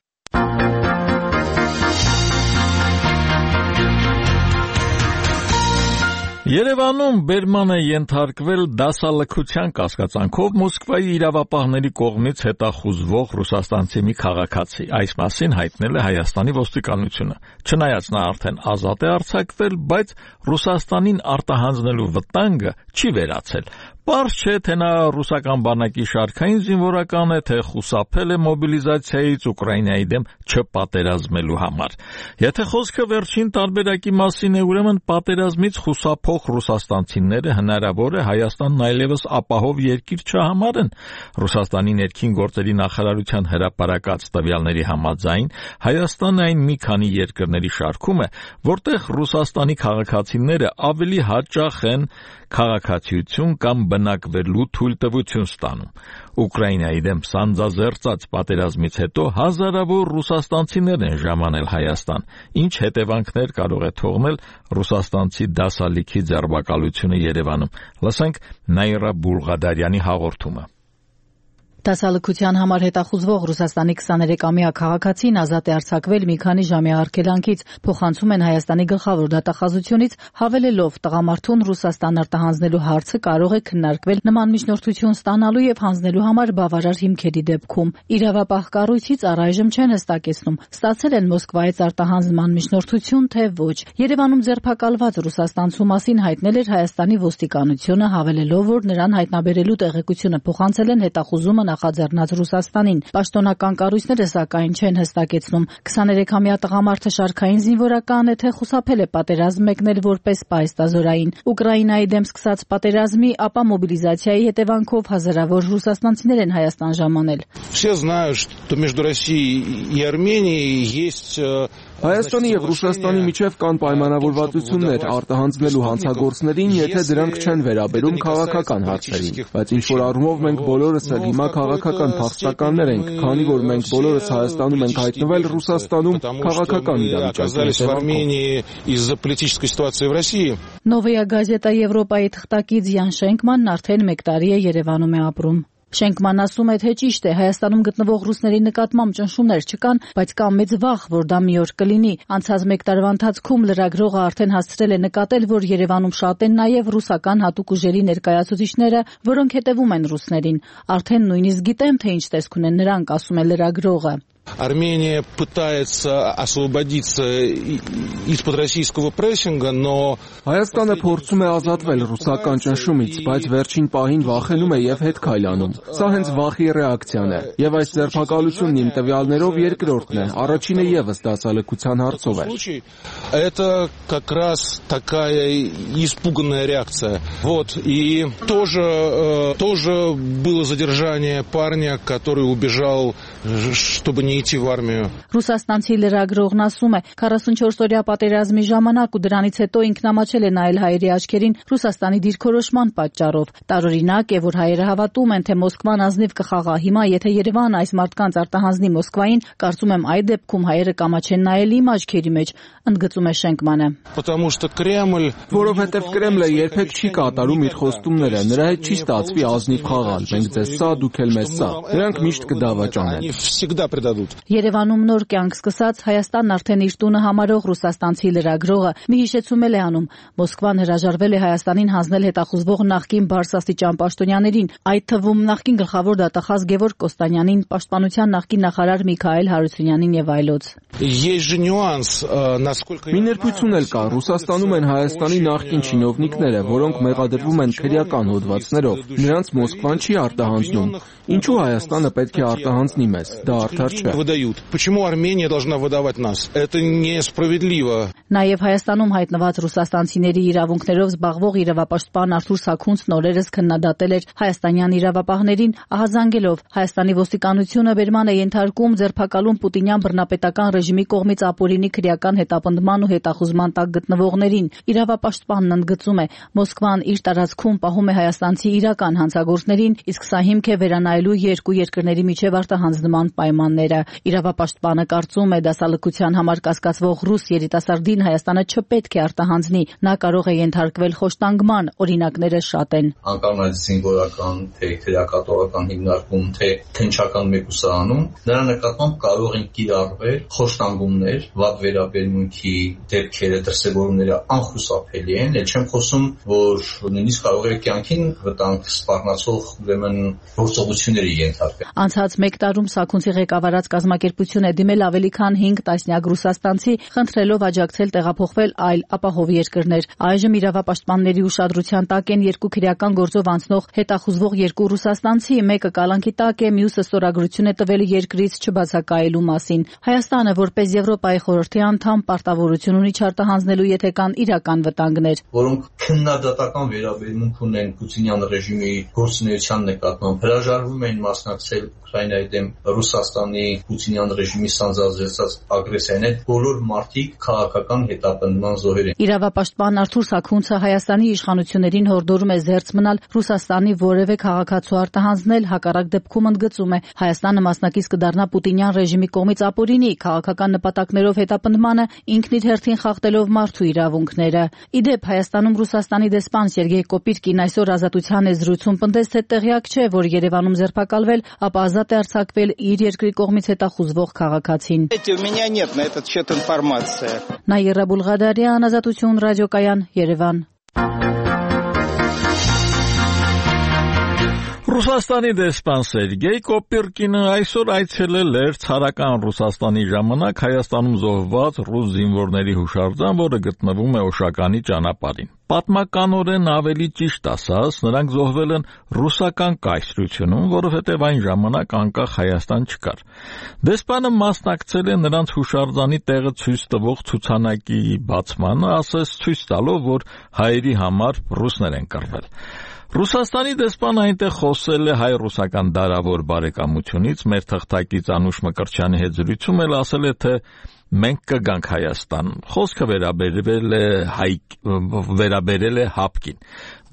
Երևանում բերման է ենթարկվել դասալքության կասկածանքով Մոսկվայի իրավապահների կողմից հետախուզվող ռուսաստանցի մի քաղաքացի։ Այս մասին հայտնել է Հայաստանի ոստիկանությունը։ Չնայած նա արդեն ազատ է արձակվել, բայց Ռուսաստանին արտահանձնելու վտանգը չի վերացել։ Պարզ չէ, թե նա ռուսական բանակի շարքային զինվորական է, թե խուսափել է մոբիլիզացիայից Ուկրաինայի դեմ չպատերազմելու համար։ Եթե խոսքը վերջին տարբերակի մասին է, ուրեմն պատերազմից խուսափող ռուսաստանցիները հնարավոր է Հայաստանն այլևս ապահով երկիր չհամարեն։ Ռուսաստանի ներքին գործերի նախարարության հրապարակած տվյալների համաձայն Հայաստանը այն մի քանի երկրների շարքում է, որտեղ Ռուսաստանի քաղաքացիները ավելի հաճախ են քաղաքացիություն կամ բնակվելու թույլտվություն ստանում։ Ուկրաինայի դեմ սանձազերծած պատերազմից հետո հազարավոր ռուսաստանցիներ են ժամանել Հայաստան, ինչ հետևանքներ կարող է թողնել ռուսաստանցի դասալիքի ձերբակալությունը Երևանում։ Լսենք Նաիրա Բուլղադարյանի հաղորդումը։ Դասալքության համար հետախուզվող Ռուսաստանի քսաներեքամյա քաղաքացին ազատ է արձակվել մի քանի ժամի արգելանքից, փոխանցում են Հայաստանի գլխավոր դատախազությունից, հավելելով տղամարդուն Ռուսաստան արտահանձնելու հարցը կարող է քննարկվել նման միջնորդություն ստանալու եւ հանձնելու համար բավարար հիմքերի դեպքում։ Իրավապահ կառույցից առայժմ չեն հստակեցնում, ստացել են Մոսկվայից արտահանձնման միջնորդություն, թե ոչ։ Երևանում ձերբակալված ռուսաստանցու մասին հայտնել էր Հայաստանի ոստիկանությունը, հավելելով, որ նրան հայտնաբերելու տեղեկությունը փոխանցել են հետախուզումը նախաձեռնած Ռուսաստանին։ Պաշտոնական կառույցները սակայն չեն հստակեցնում, քսաներեքամյա տղամարդը շարքային զինվորական է, թե խուսափել է պատերազմ մեկնել որպես պայստազորային։ Ուկրաինայի դեմ սկսած պատերազմի, ապա մոբիլիզացիայի հետևանքով հազարավոր ռուսաստանցիներ են Հայաստան ժամանել։ Все знают, что между Россией и Арменией есть Հայաստանի եւ Ռուսաստանի միջև կան պայմանավորվածություններ արտահանձնելու հանցագործներին, եթե դրանք չեն վերաբերում քաղաքական հարցերին, բայց ինչ որ առումով մենք բոլորս էլ հիմա քաղաքական փախստականներ ենք, քանի որ մենք բոլորս Հայաստանում ենք հայտնվել, Ռուսաստանում քաղաքական իրավիճակի։ Նովոյա գազետա Եվրոպայի թղթակից Յան Շենկմանն արդեն մեկ տարի է Երևանում է ապրում։ Շենկմանն ասում է, թե ճիշտ է, Հայաստանում գտնվող ռուսների նկատմամբ ճնշումներ չկան, բայց կա մեծ վախ, որ դա մի օր կլինի։ Անցած մեկ տարվա ընթացքում լրագրողը արդեն հասցրել է նկատել, որ Երևանում շատ են նաև ռուսական հատուկ ուժերի ներկայացուցիչները, որոնք հետևում են ռուսներին։ Արդեն նույնիսկ գիտեմ, թե ինչ տեսք ունեն նրանք, ասում է լրագրողը։ Армения пытается освободиться из-под российского прессинга, но Հայաստանը փորձում է ազատվել ռուսական ճնշումից, բայց վերջին պահին վախենում է եւ հետ քայլանում։ Սա հենց վախի ռեակցիան է, եւ այս ձերբակալությունն իմ տվյալներով երկրորդն է, առաջինը եւս դասալքության հարցով է։ Это как раз такая испуганная реакция. Вот, и тоже тоже было задержание парня, который убежал, чтобы не идти в армию. Ռուսաստանցի լրագրողն ասում է, քառասունչորս-օրյա պատերազմի ժամանակ ու դրանից հետո ինքնամաչել է նայել հայերի աչքերին Ռուսաստանի դիրքորոշման պատճառով։ Տարօրինակ է, որ հայերը հավատում են, թե Մոսկվան ազնիվ կխաղա։ Հիմա եթե Երևանը այս մարդկանց արտահանձնի Մոսկվային, կարծում եմ այդ դեպքում հայերը կամաչեն նայել իմ աչքերի մեջ, ընդգծում է Շենկմանը։ Потому что Кремль, որովհետև Կրեմլը երբեք չի կատարում իր խոստումները, նրա հետ չի ստացվի ազնիվ խաղալ, մենք ձեզ սա, դուք էլ մեզ սա։ Նրանք միշտ կդավաճանեն։ Երևանում նոր կյանք սկսած Հայաստանն արդեն իր տունը համարող ռուսաստանցի լրագրողը մի հիշեցում էլ է անում։ Մոսկվան հրաժարվել է Հայաստանին հանձնել հետախուզվող նախկին բարձրաստիճան պաշտոնյաներին, այդ թվում նախկին գլխավոր դատախազ Գևորգ Կոստանյանին, պաշտպանության նախկին նախարար Միքայել Հարությունյանին եւ այլոց։ Մի նրբություն էլ կա, Ռուսաստանում են Հայաստանի նախկին չինովնիկները, որոնք մեղադրվում են քրեական հոդվածներով, նրանց Մոսկվան չի արտահանձնում։ Ինչու Հայաստանը պետք է արտահանձնի մեզ, դա արդար չէ։ Почему Армения должна выдавать нас? Это несправедливо. Նաև Հայաստանում հայտնված ռուսաստանցիների իրավունքներով զբաղվող իրավապաշտպան Արթուր Սաքունցն օրերս քննադատել էր հայաստանյան իրավապահներին, ահազանգելով Հայաստանի ոստիկանությունը բերման է ենթարկում ձերբակալում պուտինյան բռնապետական ռեժիմի կողմից ապօրինի քրեական հետապնդման ու հետախուզման տակ գտնվողներին։ Իրավապաշտպանն ընդգծում է, Մոսկվան իր տարածքում պահում է հայաստանցի իրական հանցագործներին, իսկ սա հիմք է վերանայելու երկու երկրների միջև արտահանձնման պայմանները։ Իրավապաշտպանը կարծում է, դասալքության համար կասկածվող ռուս երիտասարդին Հայաստանը չպետք է արտահանձնի, նա կարող է ենթարկվել խոշտանգման, օրինակները շատ են։ Անկարնայից զինվորական, թե քրեակատորական հիմնարկում, թե քննչական մեկուսանում, նրա նկատմամբ կարող են կիրառվել խոշտանգումներ, վատ վերաբերմունքի դեպքերը, դրսևորումները անխուսափելի են, էլ չեմ խոսում, որ նույնիսկ կարող է կյանքին վտանգ սպառնացող ուրեմն գործողությունների ենթարկվել։ Անցած մեկ տարում Սաքունցի ղեկավարած կազմակերպություն է դիմել ավելի քան հինգ տասնյակ ռուսաստանցի, խնդրելով աջակցել տեղափոխվել այլ ապահով երկրներ։ Այժմ իրավապաշտպանների ուշադրության տակ են երկու քրեական գործով անցնող հետախուզվող երկու ռուսաստանցի, մեկը կալանքի տակ է, մյուսը ստորագրություն է տվել երկրից չբացակայելու մասին։ Հայաստանը, որպես Եվրոպայի խորհրդի անդամ, պարտավորություն ունի չարտահանձնելու, եթե կան իրական վտանգներ, որոնք քննադատական վերաբերմունք ունեն Պուտինյան ռեժիմի գործունեության նկատմամբ, հրաժարվում են մասնակցել Ուկրաինայի դեմ Ռուսաստանի Պուտինյան ռեժիմի սանձազերծած ագրեսիային հետ, բոլոր մարդիկ քաղաքական հետապնդման զոհեր են։ Իրավապաշտպան Արթուր Սաքունցը Հայաստանի իշխանություններին հորդորում է զերծ մնալ Ռուսաստանի որևէ քաղաքացու արտահանձնել, հակառակ դեպքում ընդգծում է Հայաստանը մասնակից կդառնա Պուտինյան ռեժիմի կողմից ապօրինի քաղաքական նպատակներով հետապնդմանը, ինքն իր հերթին խախտելով մարդու իրավունքները։ Իդեպ Հայաստանում Ռուսաստանի դեսպան Սերգեյ Կոպիրկին այսօր Ազատության է զրույցում պնդեց, թե տեղյակ չէ, որ Երևանում ձերբակալվել, ապա ազատ է արձակվել իր երկրի կողմից հետախուզվող քաղաքացին։ Նաիրա Բուլղադարյան, Ազատություն ռադիոկայան, Երևան։ Ռուսաստանի դեսպան Սերգեյ Կոպիրկինը այսօր այցելել էր ցարական Ռուսաստանի ժամանակ Հայաստանում զոհված ռուս զինվորների հուշարձան, որը գտնվում է Օշականի ճանապարհին։ Պատմականորեն ավելի ճիշտ ասած, նրանք զոհվել են ռուսական կայսրությունում, որովհետև այն ժամանակ անկախ Հայաստան չկար։ Դեսպանը մասնակցել է նրանց հուշարձանի տեղը ցույց տվող ցուցանակի բացմանը, ասես ցույց տալով, որ հայերի համար ռուսներ են կռվել։ Ռուսաստանի դեսպանը այնտեղ խոսել է հայ-ռուսական դարավոր բարեկամությունից, մեր թղթակից Անուշ Մկրտչյանի հետ զրույցում էլ ասել է, թե մենք կգանք Հայաստան։ Խոսքը վերաբերվել է հայ վերաբերել է հապկին։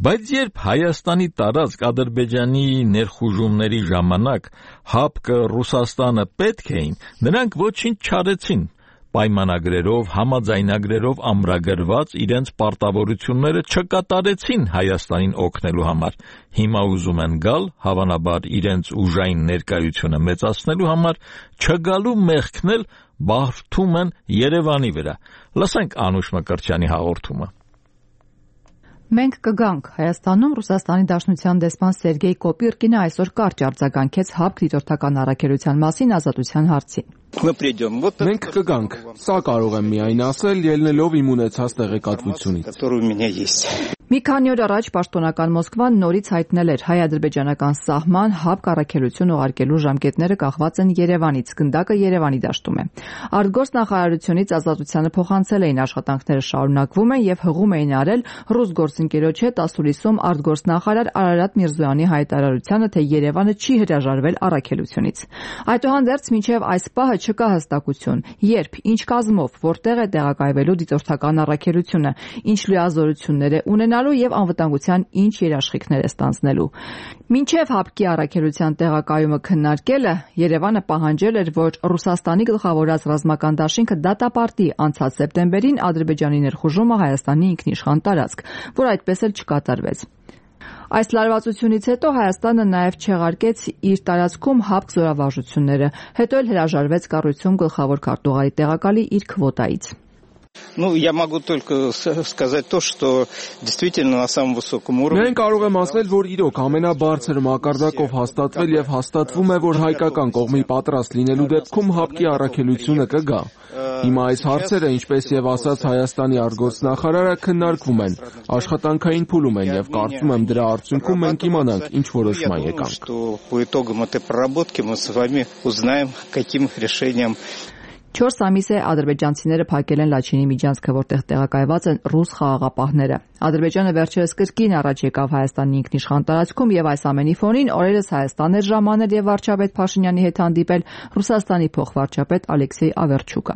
Բայց երբ Հայաստանի տարածք Ադրբեջանի ներխուժումների ժամանակ հապկը Ռուսաստանը պետք էին, նրանք ոչինչ չարեցին։ Պայմանագրերով, համաձայնագրերով ամրագրված իրենց պարտավորությունները չկատարեցին Հայաստանին օգնելու համար։ Հիմա ուզում են գալ, հավանաբար իրենց ուժային ներկայությունը մեծացնելու համար, չգալու մեղքն էլ բարդում են Երևանի վրա։ Լսենք Անուշ Մկրտչյանի հաղորդումը։ Մենք կգանք Հայաստանում Ռուսաստանի Դաշնության դեսպան Սերգեյ Կոպիրկինը այսօր կարճ արձագանքեց հապկ դիտորդական առաքելության մասին Ազատության հարցին։ Մենք կգանք, սա կարող եմ միայն ասել, ելնելով իմ ունեցած տեղեկատվությունից։ Մի քանի օր առաջ պաշտոնական Մոսկվան նորից հայտնել էր հայ-ադրբեջանական սահման հապկ առաքելություն ուղարկելու ժամկետները կախված են Երևանից, գնդակը Երևանի դաշտում է։ Արտգործնախարարությունից Ազատությանը փոխանցել էին աշխատանքները շարունակվում են եւ հղում էին արել ռուս գործընկերոջ հետ ասուլիսում արտգործնախարար Արարատ Միրզոյանի հայտարարությանը, թե Երևանը չի հրաժարվել առաքելությունից։ Այդուհանդերձ մինչև այս պահը չկա հստակություն, երբ, ինչ կազմով, որտեղ է տեղակայվելու դիտորդական առաքելությունը, ինչ լիազորություններ է ունենալու եւ անվտանգության ինչ երաշխիքներ է ստանձնելու։ Մինչև հապկի առաքելության տեղակայումը քննարկելը Երևանը պահանջել էր, որ Ռուսաստանի գլխավորած ռազմական դաշինքը դատապարտի անցած սեպտեմբերին Ադրբեջանի ներխուժումը Հայաստանի ինքնիշխան տարածք, որ այդպես էլ չկատարվեց։ Այս լարվածությունից հետո Հայաստանը նաև չեղարկեց իր տարածքում հապկ զորավարժությունները, հետո էլ հրաժարվեց կառույցում գլխավոր քարտուղարի տեղակալի իր քվոտայից։ Ну, я могу только сказать то, что действительно на самом высоком уровне. Մենք կարող եմ ասել, որ իրոք ամենաբարձր մակարդակով հաստատվել եւ հաստատվում է, որ հայկական կողմի պատրաստ լինելու դեպքում հապկի առաքելությունը կգա։ Հիմա այս հարցերը, ինչպես եւ ասաց Հայաստանի արտգործնախարարը, քննարկվում են, աշխատանքային փուլում են եւ կարծում եմ դրա արդյունքում մենք իմանանք ինչ որոշման եկանք։ По итогам этой проработки мы с вами узнаем, каким решением. Չորս ամիս է ադրբեջանցիները փակել են Լաչինի միջանցքը, որտեղ տեղակայված են ռուս խաղաղապահները։ Ադրբեջանը վերջերս կրկին առաջ եկավ Հայաստանի ինքնիշխան տարածքում եւ այս ամենի ֆոնին օրերս Հայաստան էր ժամանել եւ վարչապետ Փաշինյանի հետ հանդիպել Ռուսաստանի փոխվարչապետ Ալեքսեյ Ավերչուկը։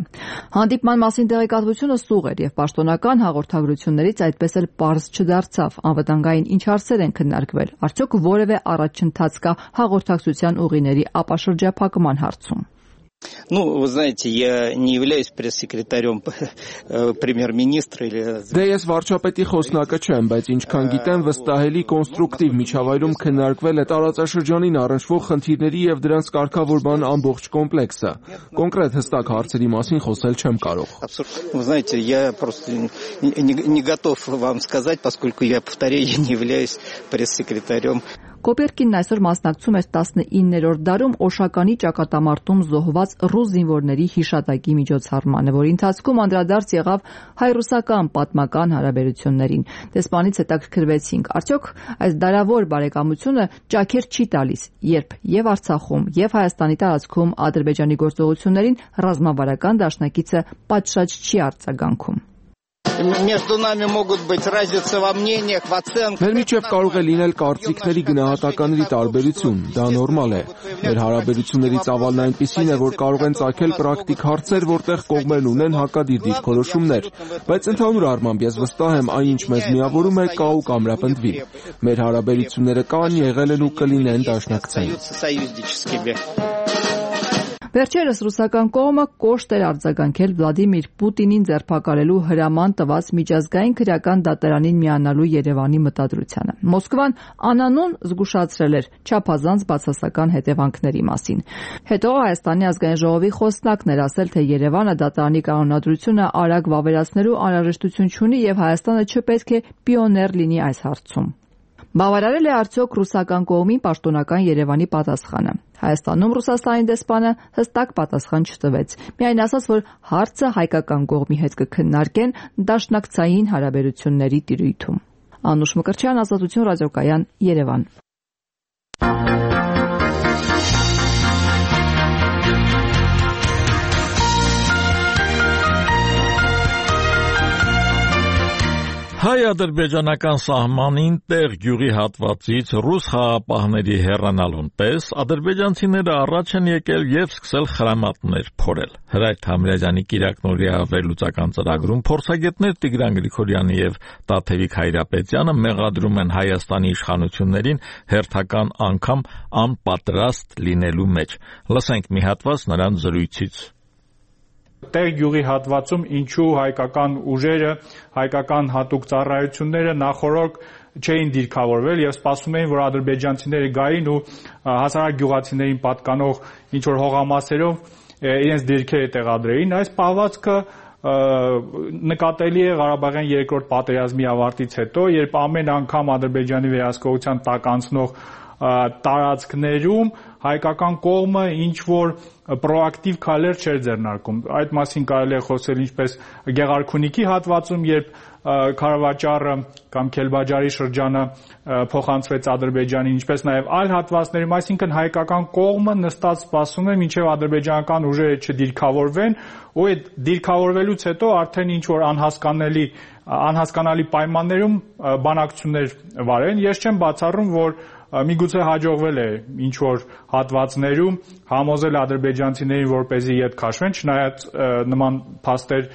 Հանդիպման մասին տեղեկատվությունը սուղ էր եւ պաշտոնական հաղորդագրություններից այդպես էլ պարզ չդարձավ անվտանգային ինչ հարցեր են քննարկվել։ Արդյոք որևէ առաջընթաց կա հաղորդակցության ուղիների ապաշրջափակման հարցում։ Ну, вы знаете, я не являюсь пресс-секретарем премьер-министра или... Դե ես վարչապետի խոսնակը չեմ, բայց ինչքան գիտեմ, վստահելի կոնստրուկտիվ միջավայրում քննարկվել է տարածաշրջանին առնչվող խնդիրների եւ դրանց կարգավորման ամբողջ կոմպլեքսը։ Կոնկրետ հստակ հարցերի մասին խոսել չեմ կարող։ Вы знаете, я просто не, не готов вам сказать, поскольку я повторяю, я не являюсь пресс-секретарем. Կոպերկինն այսօր մասնակցում էր տասնիններորդ դարում Օշականի ճակատամարտում զոհված ռուս զինվորների հիշատակի միջոցառմանը, որի ընթացքում անդրադարձ եղավ հայ-ռուսական պատմական հարաբերություններին։ Դեսպանից հետաքրքրվեցինք, արդյոք այս դարավոր բարեկամությունը ճաքեր չի տալիս, երբ եւ Արցախում, եւ Հայաստանի տարածքում Ադրբեջանի գործողություններին ռազմավարական դաշնակիցը պատշաճ չի արձագանքում։ Между нами могут быть разницы во мнениях, в оценках. Մեր միջև կարող է լինել կարծիքների գնահատականների տարբերություն, դա նորմալ է։ Մեր հարաբերությունների ծավալն այնպիսին է, որ կարող են ծագել պրակտիկ հարցեր, որտեղ կողմերն ունեն հակադիր դիրքորոշումներ, բայց ընդհանուր առմամբ ես վստահ եմ, այն ինչ մեզ միավորում է, կա ու կամրապնդվի։ Մեր հարաբերությունները կան, եղել են ու կլինեն դաշնակցային։ Վերջերս ռուսական կողմը կոշտ էր արձագանքել Վլադիմիր Պուտինին ձերբակալելու հրաման տված միջազգային քրեական դատարանին միանալու Երևանի մտադրությանը։ Մոսկվան անանուն զգուշացրել էր չափազանց բացասական հետևանքների մասին։ Հետո Հայաստանի ազգային ժողովի խոսնակն էր ասել, թե Երևանը դատարանի կանոնադրությունը արագ վավերացնելու անհրաժեշտություն չունի եւ Հայաստանը չպետք է պիոներ լինի այս հարցում։ Բավարարել է արդյոք ռուսական կողմին պաշտոնական Երևանի պատասխանը։ Հայաստանում Ռուսաստանի դեսպանը հստակ պատասխան չտվեց։ Միայն ասաց, որ հարցը հայկական կողմի հետ կքննարկեն դաշնակցային հարաբերությունների տիրույթում։ Անուշ Մկրտչյան, Ազատություն ռադիոկայան, Երևան։ Հայ-ադրբեջանական սահմանին տեղ գյուղի հատվածից ռուս խաղապահների հեռանալուն պես ադրբեջանցիները առաջ են եկել եւ սկսել խրամատներ փորել։ Հրայր Թամիրազյանի կիրակնօրյա վերլուծական ծրագրում փորձագետներ Տիգրան Գրիգորյանը եւ Տաթևիկ Հայրապետյանը մեղադրում են Հայաստանի իշխանություններին հերթական անգամ անպատրաստ լինելու մեջ։ Լսենք մի հատված նրանց զրույցից։ Տեղ գյուղի հատվածում ինչու հայկական ուժերը, հայկական հատուկ ծառայությունները նախորդ չէին դիրքավորվել եւ սպասում էին, որ ադրբեջանցիները գային ու հասարակ գյուղացիներին պատկանող ինչ որ հողամասերով իրենց դիրքերը տեղադրեին։ Այս պահվածքը նկատելի է Ղարաբաղյան երկրորդ պատերազմի ավարտից հետո, երբ ամեն անգամ Ադրբեջանի վերահսկողության տակ անցնող տարածքներում հայկական կողմը ինչ որ պրոակտիվ քայլեր չէր ձեռնարկում։ Այդ մասին կարելի է խոսել ինչպես Գեղարքունիքի հատվածում, երբ Քարավաճառը կամ Քելբաջարի շրջանը փոխանցվեց Ադրբեջանին, ինչպես նաև այլ հատվածներում, այսինքն հայկական կողմը նստած սպասում է, մինչև ադրբեջանական ուժերը չդիրքավորվեն, ու այդ դիրքավորվելուց հետո արդեն ինչ որ անհասկանալի անհասկանալի պայմաններում բանակցություններ վարեն։ Ես չեմ բացառում, որ միգուցե հաջողվել է ինչ որ հատվածներում համոզել ադրբեջանցիներին, որպեսզի ետ քաշվեն, չնայած նման փաստեր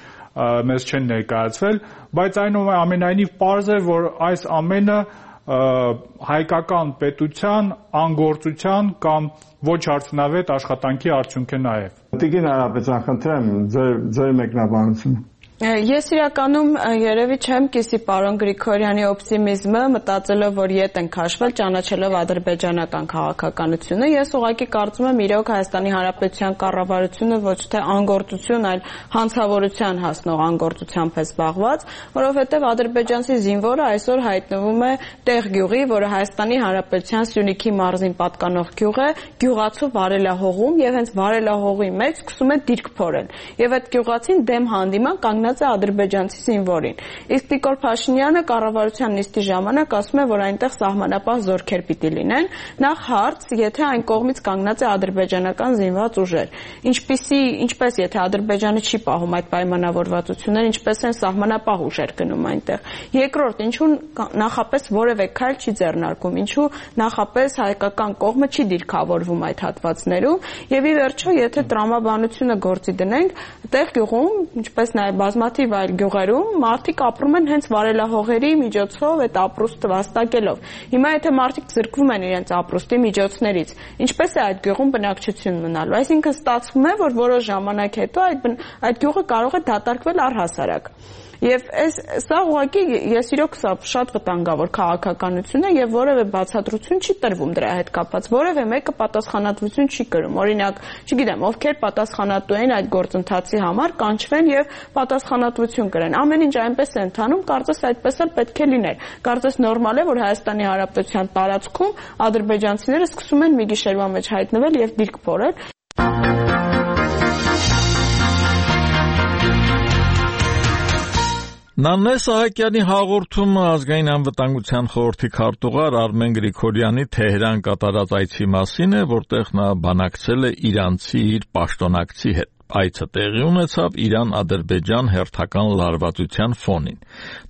մեզ չեն ներկայացվել, բայց այնուամենայնիվ պարզ է, որ այս ամենը հայկական պետության անգործության կամ ոչ արդյունավետ աշխատանքի արդյունք է նաև։ Տիկին Հայրապետյան, խնդրեմ ձեր ձեր մեկնաբանությունը։ Ես իրականում երևի չեմ կիսի պարոն Գրիգորյանի օպտիմիզմը, մտածելով, որ ետ են քաշվել, ճանաչելով ադրբեջանական քաղաքականությունը։ Ես ուղղակի կարծում եմ, իրոք Հայաստանի Հանրապետության կառավարությունը ոչ թե անգործություն, այլ հանցավորության հասնող անգործությամբ է զբաղված, որովհետև ադրբեջանցի զինվորը այսօր հայտնվում է տեղ գյուղի, որը Հայաստանի Հանրապետության Սյունիքի մարզին պատկանող գյուղ է, գյուղացու վարելահողում, եւ հենց վարելահողի մեջ սկսում է դիրք փորել։ Եվ այդ գյուղացին դեմ հանդիման կանգնած է ադրբեջանցի զինվորին։ Իսկ Նիկոլ Փաշինյանը կառավարության նիստի ժամանակ ասում է, որ այնտեղ սահմանապահ զորքեր պիտի լինեն։ Նախ հարց, եթե այն կողմից կանգնած է ադրբեջանական զինված ուժեր, ինչպիսի, ինչպես եթե Ադրբեջանը չի պահում այդ պայմանավորվածությունները, ինչպես են սահմանապահ ուժեր գնում այնտեղ։ Երկրորդ, ինչու նախապես որևէ քայլ չի ձեռնարկում, ինչու նախապես հայկական կողմը չի դիրքավորվում այդ հատվածներում, եւ ի վերջո, եթե տրամաբանությունը գործի դնենք, տեղ գյուղում, ինչպես նաեւ բազմաթիվ այլ գյուղերում մարդիկ ապրում են հենց վարելահողերի միջոցով այդ ապրուստը վաստակելով։ Հիմա եթե մարդիկ զրկվում են իրենց ապրուստի միջոցներից, ինչպես է այդ գյուղում բնակչություն մնալու։ Այսինքն ստացվում է, որ որոշ ժամանակ հետո այդ այդ գյուղը կարող է դատարկվել առհասարակ։ Եվ այս սա ուղղակի ես իրոք սա շատ վտանգավոր քաղաքականություն է եւ որևէ բացատրություն չի տրվում դրա հետ կապված։ Որևէ մեկը պատասխանատվություն չի կրում։ Օրինակ, չգիտեմ, ովքեր պատասխանատու են այդ գործընթացի համար, կանչվեն եւ պատասխանատվություն կրեն։ Ամեն ինչ այնպես է ընթանում, կարծես այդպես էլ պետք է լիներ։ Կարծես նորմալ է, որ Հայաստանի Հանրապետության տարածքում ադրբեջանցիները սկսում են մի գիշերվա մեջ հայտնվել եւ դիրք փորել։ Նանե Սահակյանի հաղորդումը ազգային անվտանգության խորհրդի քարտուղար Արմեն Գրիգորյանի Թեհրան կատարած այցի մասին է, որտեղ նա բանակցել է իրանցի իր պաշտոնակցի հետ։ Այցը տեղի ունեցավ Իրան-Ադրբեջան հերթական լարվածության ֆոնին։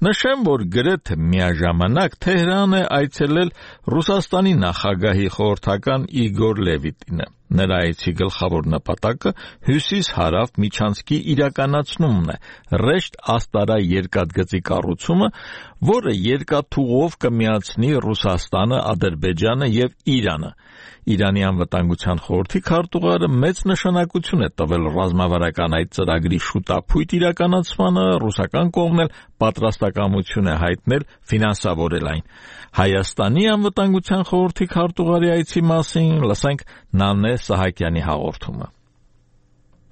Նշեմ, որ գրեթե միաժամանակ Թեհրան է այցելել Ռուսաստանի նախագահի խորհրդական Իգոր Լևիտինը։ Նրա այցի գլխավոր նպատակը հյուսիս-հարավ միջանցքի իրականացումն է, ռեշտ Աստարա երկաթգծի կառուցումը, որը երկաթուղով կմիացնի Ռուսաստանը, Ադրբեջանը եւ Իրանը։ Իրանի անվտանգության խորհրդի քարտուղարը մեծ նշանակություն է տվել ռազմավարական այդ ծրագրի շուտափույթ իրականացմանը, ռուսական կողմն էլ պատրաստակամություն է հայտնել ֆինանսավորել այն։ Հայաստանի անվտանգության խորհրդի քարտուղարի այցի մասին լսենք Նանե Սահակյանի հաղորդումը։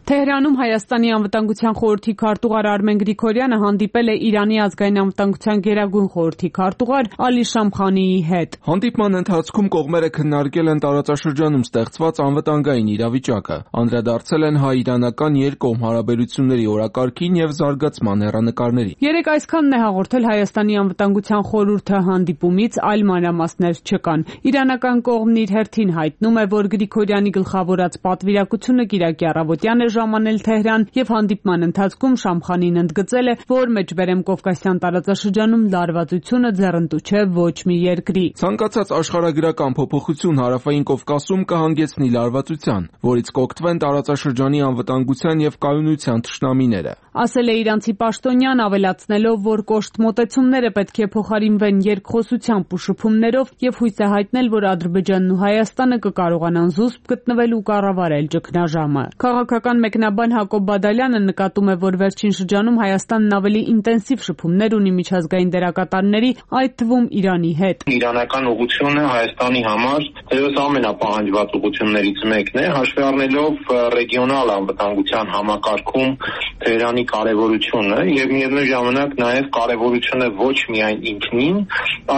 Թեհրանում Հայաստանի անվտանգության խորհրդի քարտուղար Արմեն Գրիգորյանը հանդիպել է Իրանի ազգային անվտանգության գերագույն խորհրդի քարտուղար Ալի Շամխանիի հետ։ Հանդիպման ընթացքում կողմերը քննարկել են տարածաշրջանում ստեղծված անվտանգային իրավիճակը, անդրադարձել են հայ-իրանական երկկողմ հարաբերությունների օրակարգին եւ զարգացման հեռանկարներին։ Երեք այսքանն է հաղորդել Հայաստանի անվտանգության խորհուրդը հանդիպումից, այլ մանրամասներ չկան։ Իրանական կողմն իր հերթին հայտնում է, որ Գրիգորյանի գլխավորած պատվիրակությունը կիրակի առավոտյան է ժամանել Թեհրան եւ հանդիպման ընթացքում Շամխանին ընդգծել է, որ Մեջբերեմ Կովկասյան տարածաշրջանում լարվածությունը ձեռնտու չէ ոչ մի երկրի։ Ցանկացած աշխարհագրական փոփոխություն Հարավային Կովկասում կհանգեցնի լարվածության, որից կօգտվեն տարածաշրջանի անվտանգության եւ կայունության թշնամիները։ Ասել է իրանցի պաշտոնյան, ավելացնելով, որ կոշտ մոտեցումները պետք է փոխարինվեն երկխոսությամբ ու շփումներով եւ հույս է հայտնել, որ Ադրբեջանն ու Հայաստանը կկարողանան զուսպ գտնվել ու կառավարել ճգնաժամը։ Քաղաքական մեկնաբան Հակոբ Բադալյանը նկատում է, որ վերջին շրջանում Հայաստանն ավելի ինտենսիվ շփումներ ունի միջազգային դերակատարների, այդ թվում Իրանի հետ։ Իրանական ուղղությունը Հայաստանի համար դերևս ամենապահանջված ուղղություններից մեկն է, հաշվի առնելով ռեգիոնալ անվտանգության համակարգում Թեհրանի կարևորությունը եւ միևնույն ժամանակ նաեւ կարևորությունը ոչ միայն ինքնին,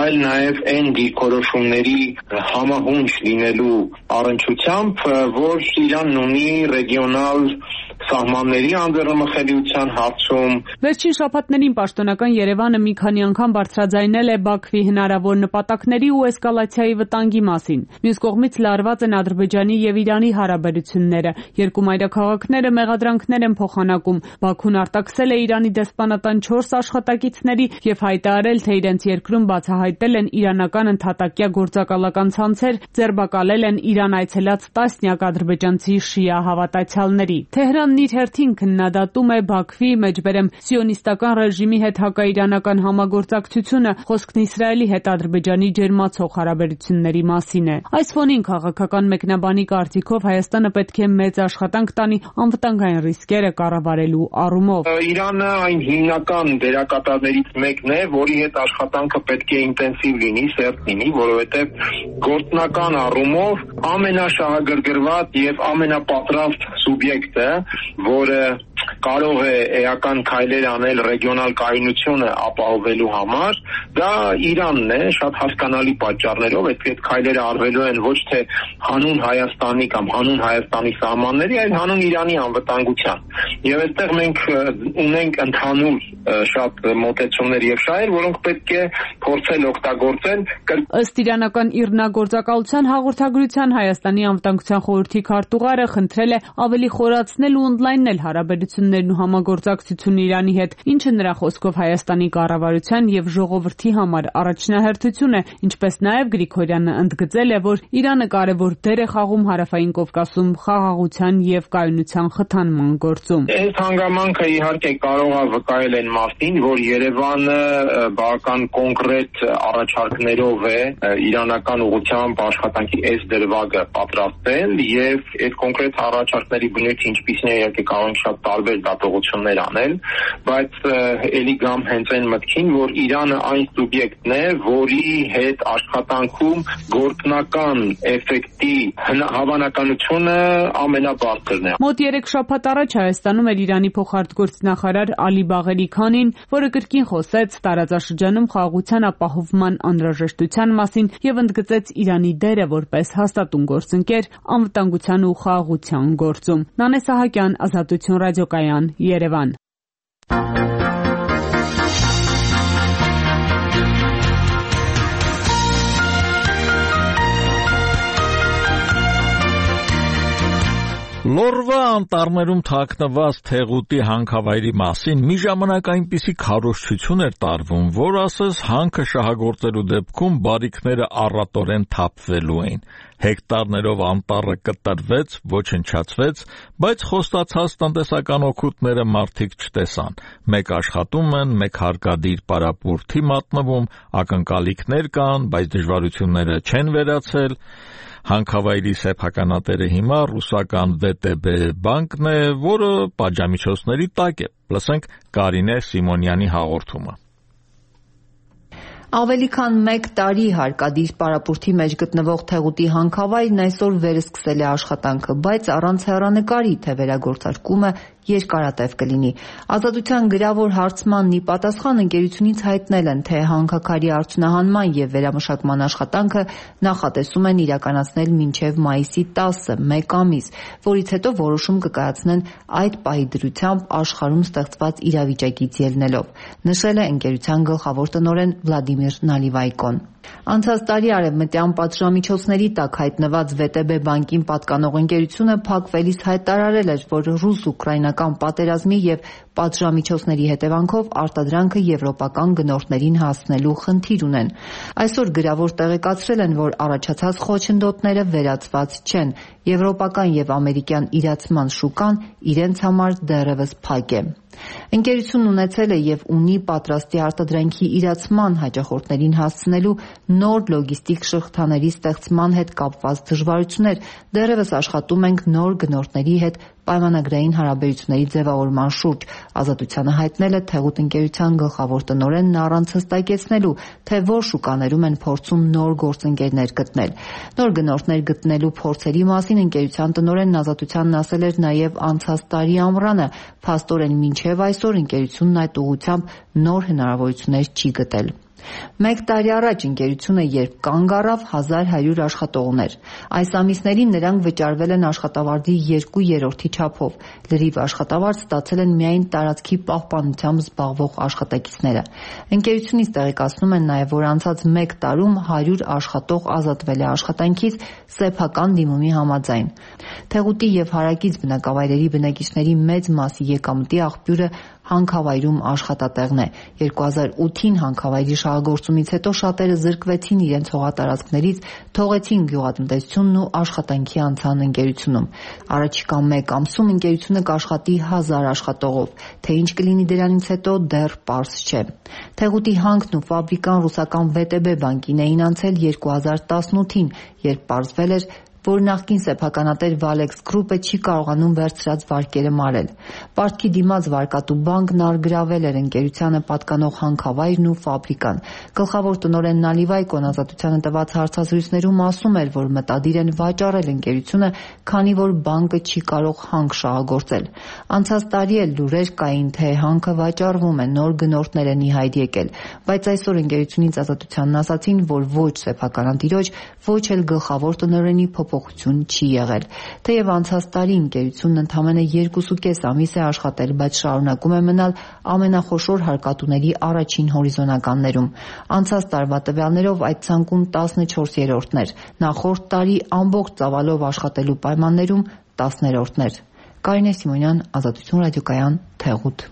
այլ նաեւ այն դիրքորոշումների համահունչ լինելու առնչությամբ, որ Իրանն ունի ռեգիոնալ սահմանների անդրմխելիության հարցում։ Վերջին շաբաթներին պաշտոնական Երևանը մի քանի անգամ բարձրաձայնել է Բաքվի հնարավոր նպատակների ու էսկալացիայի վտանգի մասին։ Մյուս կողմից լարված են Ադրբեջանի եւ Իրանի հարաբերությունները։ Երկու մայրաքաղաքները մեղադրանքներ են փոխանակում։ Բաքուն արտաքսել է Իրանի դեսպանատան չորս աշխատակիցների եւ հայտարարել, թե իրենց երկրում բացահայտել են իրանական ընդհատակյա գործակալական ցանցեր, ձերբակալել են Իրան այցելած տասնյակ ադրբեջանցի շիա հավատացյալների։ Թեհրանն իր հերթին քննադատում է Բաքվի մեջբերեմ սիոնիստական ռեժիմի հետ հակաիրանական համագործակցությունը, խոսքն Իսրայելի հետ Ադրբեջանի ջերմացող հարաբերությունների մասին է։ Այս ֆոնին քաղաքական մեկնաբանի կարծիքով Հայաստանը պետք է մեծ աշխատանք տանի անվտանգային ռիսկերը կառավարելու առումով։ Իրանը այն հիմնական դերակատարներից մեկն է, որի հետ աշխատանքը պետք է ինտենսիվ լինի, սերտ լինի, որովհետև գործնական առումով ամենաշահագրգռված եւ ամենապատրաստ սուբյեկտը, որը կարող է էական քայլեր անել ռեգիոնալ կայունությունը ապահովելու համար, դա Իրանն է, շատ հասկանալի պատճառներով, այդ քայլերը արվելու են ոչ թե հանուն Հայաստանի կամ հանուն Հայաստանի սահմանների, այլ հանուն Իրանի անվտանգության։ Եվ այստեղ մենք ունենք ընդհանուր շատ մոտեցումներ եւ շահեր, որոնք պետք է փորձել օգտագործել։ Ըստ իրանական ԻՌՆԱ գործակալության հաղորդագրության Հայաստանի անվտանգության խորհրդի քարտուղարը խնդրել է ավելի խորացնել ու ընդլայնել հարաբերություններն ու համագործակցությունը Իրանի հետ, ինչը նրա խոսքով Հայաստանի կառավարության եւ ժողովրդի համար առաջնահերթություն է, ինչպես նաեւ Գրիգորյանը ընդգծել է, որ Իրանը կարևոր դեր է խաղում Հարավային Կովկասում խաղաղության եւ կայունության խթանման գործում։ Այս հանգամանքը իհարկե կարող է վկայել այն մասին, որ Երևանը բավական կոնկրետ առաջարկներով է իրանական ուղղությամբ աշխատանքի այս դրվագը պատրաստել եւ այդ կոնկրետ առաջարկների բնույթը ինչպիսին է, իհարկե կարող ենք շատ տարբեր էլ դատողություններ անել, բայց ելի գամ հենց այն մտքին, որ Իրանը այն սուբյեկտն է, որի հետ աշխատանքում գործնական էֆեկտի հավանականությունը ամենաբարձրն է։ Մոտ երեք շաբաթ առաջ Հայաստանում էր Իրանի փոխարտգործնախարար Ալի Բաղերի Քանին, որը կրկին խոսեց տարածաշրջանում խաղաղության ապահովման անհրաժեշտության մասին եւ ընդգծեց Իրանի դերը որպես հաստատուն գործընկեր անվտանգության ու խաղաղության գործում։ Նանե Սահակյան, Ազատություն ռադիոկայան, Երևան։ Լորվա անտառներում թաքնված Թեղուտի հանքավայրի մասին մի ժամանակ այնպիսի քարոզչություն էր տարվում, որ ասես հանքը շահագործելու դեպքում բարիքները առատորեն թափվելու էին։ Հեկտարներով անտառը կտրվեց, ոչնչացվեց, բայց խոստացած տնտեսական օգուտները մարդիկ չտեսան։ Մեկ աշխատում են, մեկ հարկադիր պարապուրդի մատնվում, ակնկալիքներ կան, բայց դժվարությունները չեն վերացել։ Հանքավայրի սեփականատերը հիմա ռուսական վե տե բե բանկն է, որը պատժամիջոցների տակ է։ Լսենք Կարինե Սիմոնյանի հաղորդումը։ Ավելի քան մեկ տարի հարկադիր պարապուրդի մեջ գտնվող Թեղուտի հանքավայրն այսօր վերսկսել է աշխատանքը, բայց առանց հեռանկարի, թե վերագործարկումը երկարատև կլինի։ Ազատության գրավոր հարցմանն ի պատասխան ընկերությունից հայտնել են, թե հանքաքարի արդյունահանման եւ վերամշակման աշխատանքը նախատեսում են իրականացնել մինչեւ մայիսի տասը, մեկ ամիս, որից հետո որոշում կկայացնեն այդ պահի դրությամբ աշխարհում ստեղծված իրավիճակից ելնելով, նշել է ընկերության գլխավոր տնօրեն Վլադիմիր Նալիվայկոն։ Անցած տարի արևմտյան պատժամիջոցների տակ հայտնված վե տե բե բանկին պատկանող ընկերությունը փակվելիս հայտարարել էր, որ ռուս-ուկրաինական պատերազմի եւ պատժամիջոցների հետևանքով արտադրանքը եվրոպական գնորդներին հասնելու խնդիր ունեն։ Այսօր գրավոր տեղեկացրել են, որ առաջացած խոչընդոտները վերացված չեն, եվրոպական եւ ամերիկյան իրացման շուկան իրենց համար դեռևս փակ է։ Ընկերությունն ունեցել է եւ ունի պատրաստի արտադրանքի իրացման հաճախորդներին հասցնելու նոր լոգիստիկ շղթաների ստեղծման հետ կապված դժվարություններ, դեռևս աշխատում ենք նոր գնորդների հետ պայմանագրային հարաբերությունների ձևավորման շուրջ, Ազատությանը հայտնել է Թեղուտ ընկերության գլխավոր տնօրենն առանց հստակեցնելու, թե որ շուկաներում են փորձում նոր գործընկերներ գտնել։ Նոր գնորդներ գտնելու փորձերի մասին ընկերության տնօրենն Ազատությանն ասել էր նաև անցած տարի ամռանը, փաստորեն մինչև այսօր ընկերությունն այդ ուղղությամբ նոր հնարավորություններ չի գտել։ Մեկ տարի առաջ ընկերությունը երբ կանգ առավ, հազար հարյուր աշխատող ուներ։ Այս ամիսներին նրանք վճարվել են աշխատավարձի երկու երրորդի չափով։ Լրիվ աշխատավարձ ստացել են միայն տարածքի պահպանությամբ զբաղվող աշխատակիցները։ Ընկերությունից տեղեկացնում են նաև, որ անցած մեկ տարում հարյուր աշխատող ազատվել է աշխատանքից սեփական դիմումի համաձայն։ Թեղուտի եւ հարակից բնակավայրերի բնակիչների մեծ մասի եկամտի աղբյուրը հանքավայրում աշխատատեղն է։ երկու հազար ութին հանքավայրի շահագործումից հետո շատերը զրկվեցին իրենց հողատարածքներից, թողեցին գյուղատնտեսությունն ու աշխատանքի անցան ընկերությունում։ Առաջիկա մեկ ամսում ընկերությունը կաշխատի հազար աշխատողով, թե ինչ կլինի դրանից հետո դեռ պարզ չէ։ Թեղուտի հանքն ու ֆաբրիկան ռուսական վե տե բե բանկին էին անցել երկու հազար տասնութին, երբ պարզվել էր, որ նախկին սեփականատեր Valex Group-ը չի կարողանում վերցրած վարկերը մարել։ Պարտքի դիմաց վարկատու բանկն առգրավել էր ընկերությանը պատկանող հանքավայրն ու ֆաբրիկան։ Գլխավոր տնօրեն Նալիվայկոն Ազատությանը տված հարցազրույցներում ասում էր, որ մտադիր են վաճառել ընկերությունը, քանի որ բանկը չի կարող հանք շահագործել։ Անցած տարի էլ լուրեր կային, թե հանքը վաճառվում է, նոր գնորդներ են ի հայտ եկել, բայց այսօր ընկերությունից Ազատությանն ասացին, որ ոչ սեփականատիրոջ, ոչ էլ գլխավոր տնօրենի փոփոխություն չի եղել։ Թեև անցած տարի ընկերությունն ընդամենը երկուսուկես ամիս է աշխատել, բայց շարունակում է մնալ ամենախոշոր հարկատուների առաջին հորիզոնականներում։ Անցած տարվա տվյալներով այդ ցանկում տասնչորսերորդն էր, նախորդ տարի ամբողջ ծավալով աշխատելու պայմաններում տասներորդն էր։ Կարինե Սիմոնյան, Ազատություն ռադիոկայան, Թեղուտ։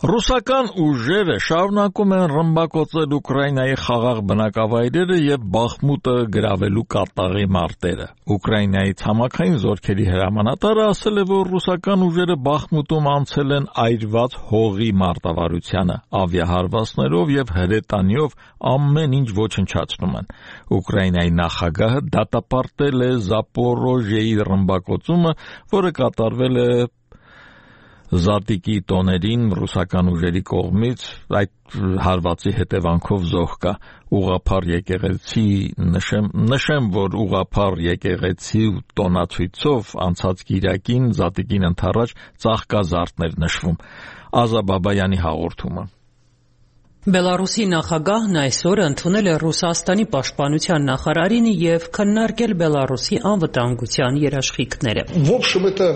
Ռուսական ուժերը շարունակում են ռմբակոծել Ուկրաինայի խաղաղ բնակավայրերը եւ Բախմուտը գրավելու կատաղի մարտերը։ Ուկրաինայի ցամաքային զորքերի հրամանատարը ասել է, որ ռուսական ուժերը Բախմուտում անցել են այրված հողի մարտավարությանը, ավիահարվածներով եւ հրետանիով ամեն ինչ ոչնչացնում են։ Ուկրաինայի նախագահը դատապարտել է Զապորոժիեի ռմբակոծումը, որը կատարվել է Զատիկի տոներին ռուսական ուժերի կողմից, այդ հարվածի հետևանքով զոհ կա։ Ուղղափառ եկեղեցի նշեմ, նշեմ, որ ուղղափառ եկեղեցի տոնացույցով անցած կիրակին Զատիկին ընթառաջ ծաղկազարդներ նշվում։ Ազա Բաբայանի հաղորդումը։ Բելարուսի նախագահն այսօր ընդունել է Ռուսաստանի պաշտպանության նախարարին եւ քննարկել Բելարուսի անվտանգության երաշխիքները։ В общем, это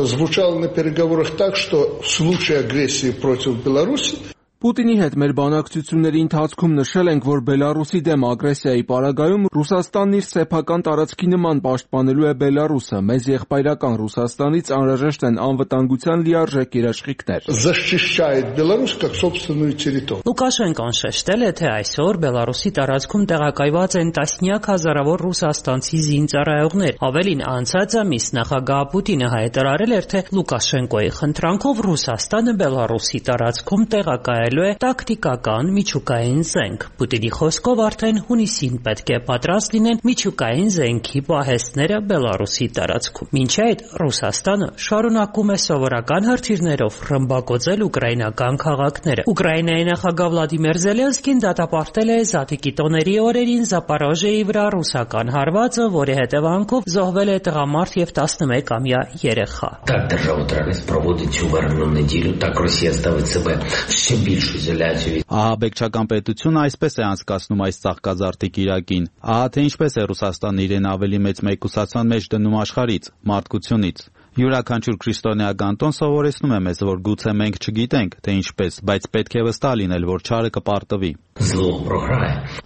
звучало на переговорах так, что в случае агрессии против Беларуси Պուտինի հետ մեր բանակցությունների ընթացքում նշել ենք, որ Բելարուսի դեմ ագրեսիայի պարագայում Ռուսաստանն իր սեփական տարածքի նման պաշտպանելու է Բելարուսը։ Մեզ եղբայրական Ռուսաստանից անհրաժեշտ են անվտանգության լիարժեք երաշխիքներ։ Защищает Беларусь как собственную территорию։ Լուկաշենկոն շեշտել է, թե այսօր Բելարուսի տարածքում տեղակայված են տասնյակ հազարավոր ռուսաստանցի զինծառայողներ։ Ավելին, անցած ամիս նախագահ Պուտինը հայտարարել էր, թե Լուկաշենկոյի խնդրանքով Ռուսաստանը Բելարուսի տարածքում տեղակայել է տակտիկական միջուկային զենք։ Պուտինի խոսքով արդեն հունիսին պետք է պատրաստ լինեն միջուկային զենքի պահեստները Բելարուսի տարածքում։ Մինչ այդ Ռուսաստանը շարունակում է սովորական հրթիռներով ռմբակոծել ուկրաինական քաղաքները։ Ուկրաինայի նախագահ Վլադիմիր Զելենսկին դատապարտել է Զատիկի տոների օրերին Զապորոժիեի վրա ռուսական հարվածը, որի հետևանքով զոհվել է տղամարդ եւ տասնմեկամյա երեխա։ Так держава треба проводить цю варну неділю, так Росія ставить себе ще більш Ահաբեկչական պետությունը այսպես է անցկացնում այս ծաղկազարդի կիրակին։ Ահա թե ինչպես է Ռուսաստանն իրեն ավելի մեծ մեկուսացան մեջ դնում աշխարհից, մարդկությունից։ Յուրաքանչյուր քրիստոնեական տոն սովորեցնում է մեզ, որ գուցե մենք չգիտենք, թե ինչպես, բայց պետք է վստահ լինել, որ չարը կպարտվի։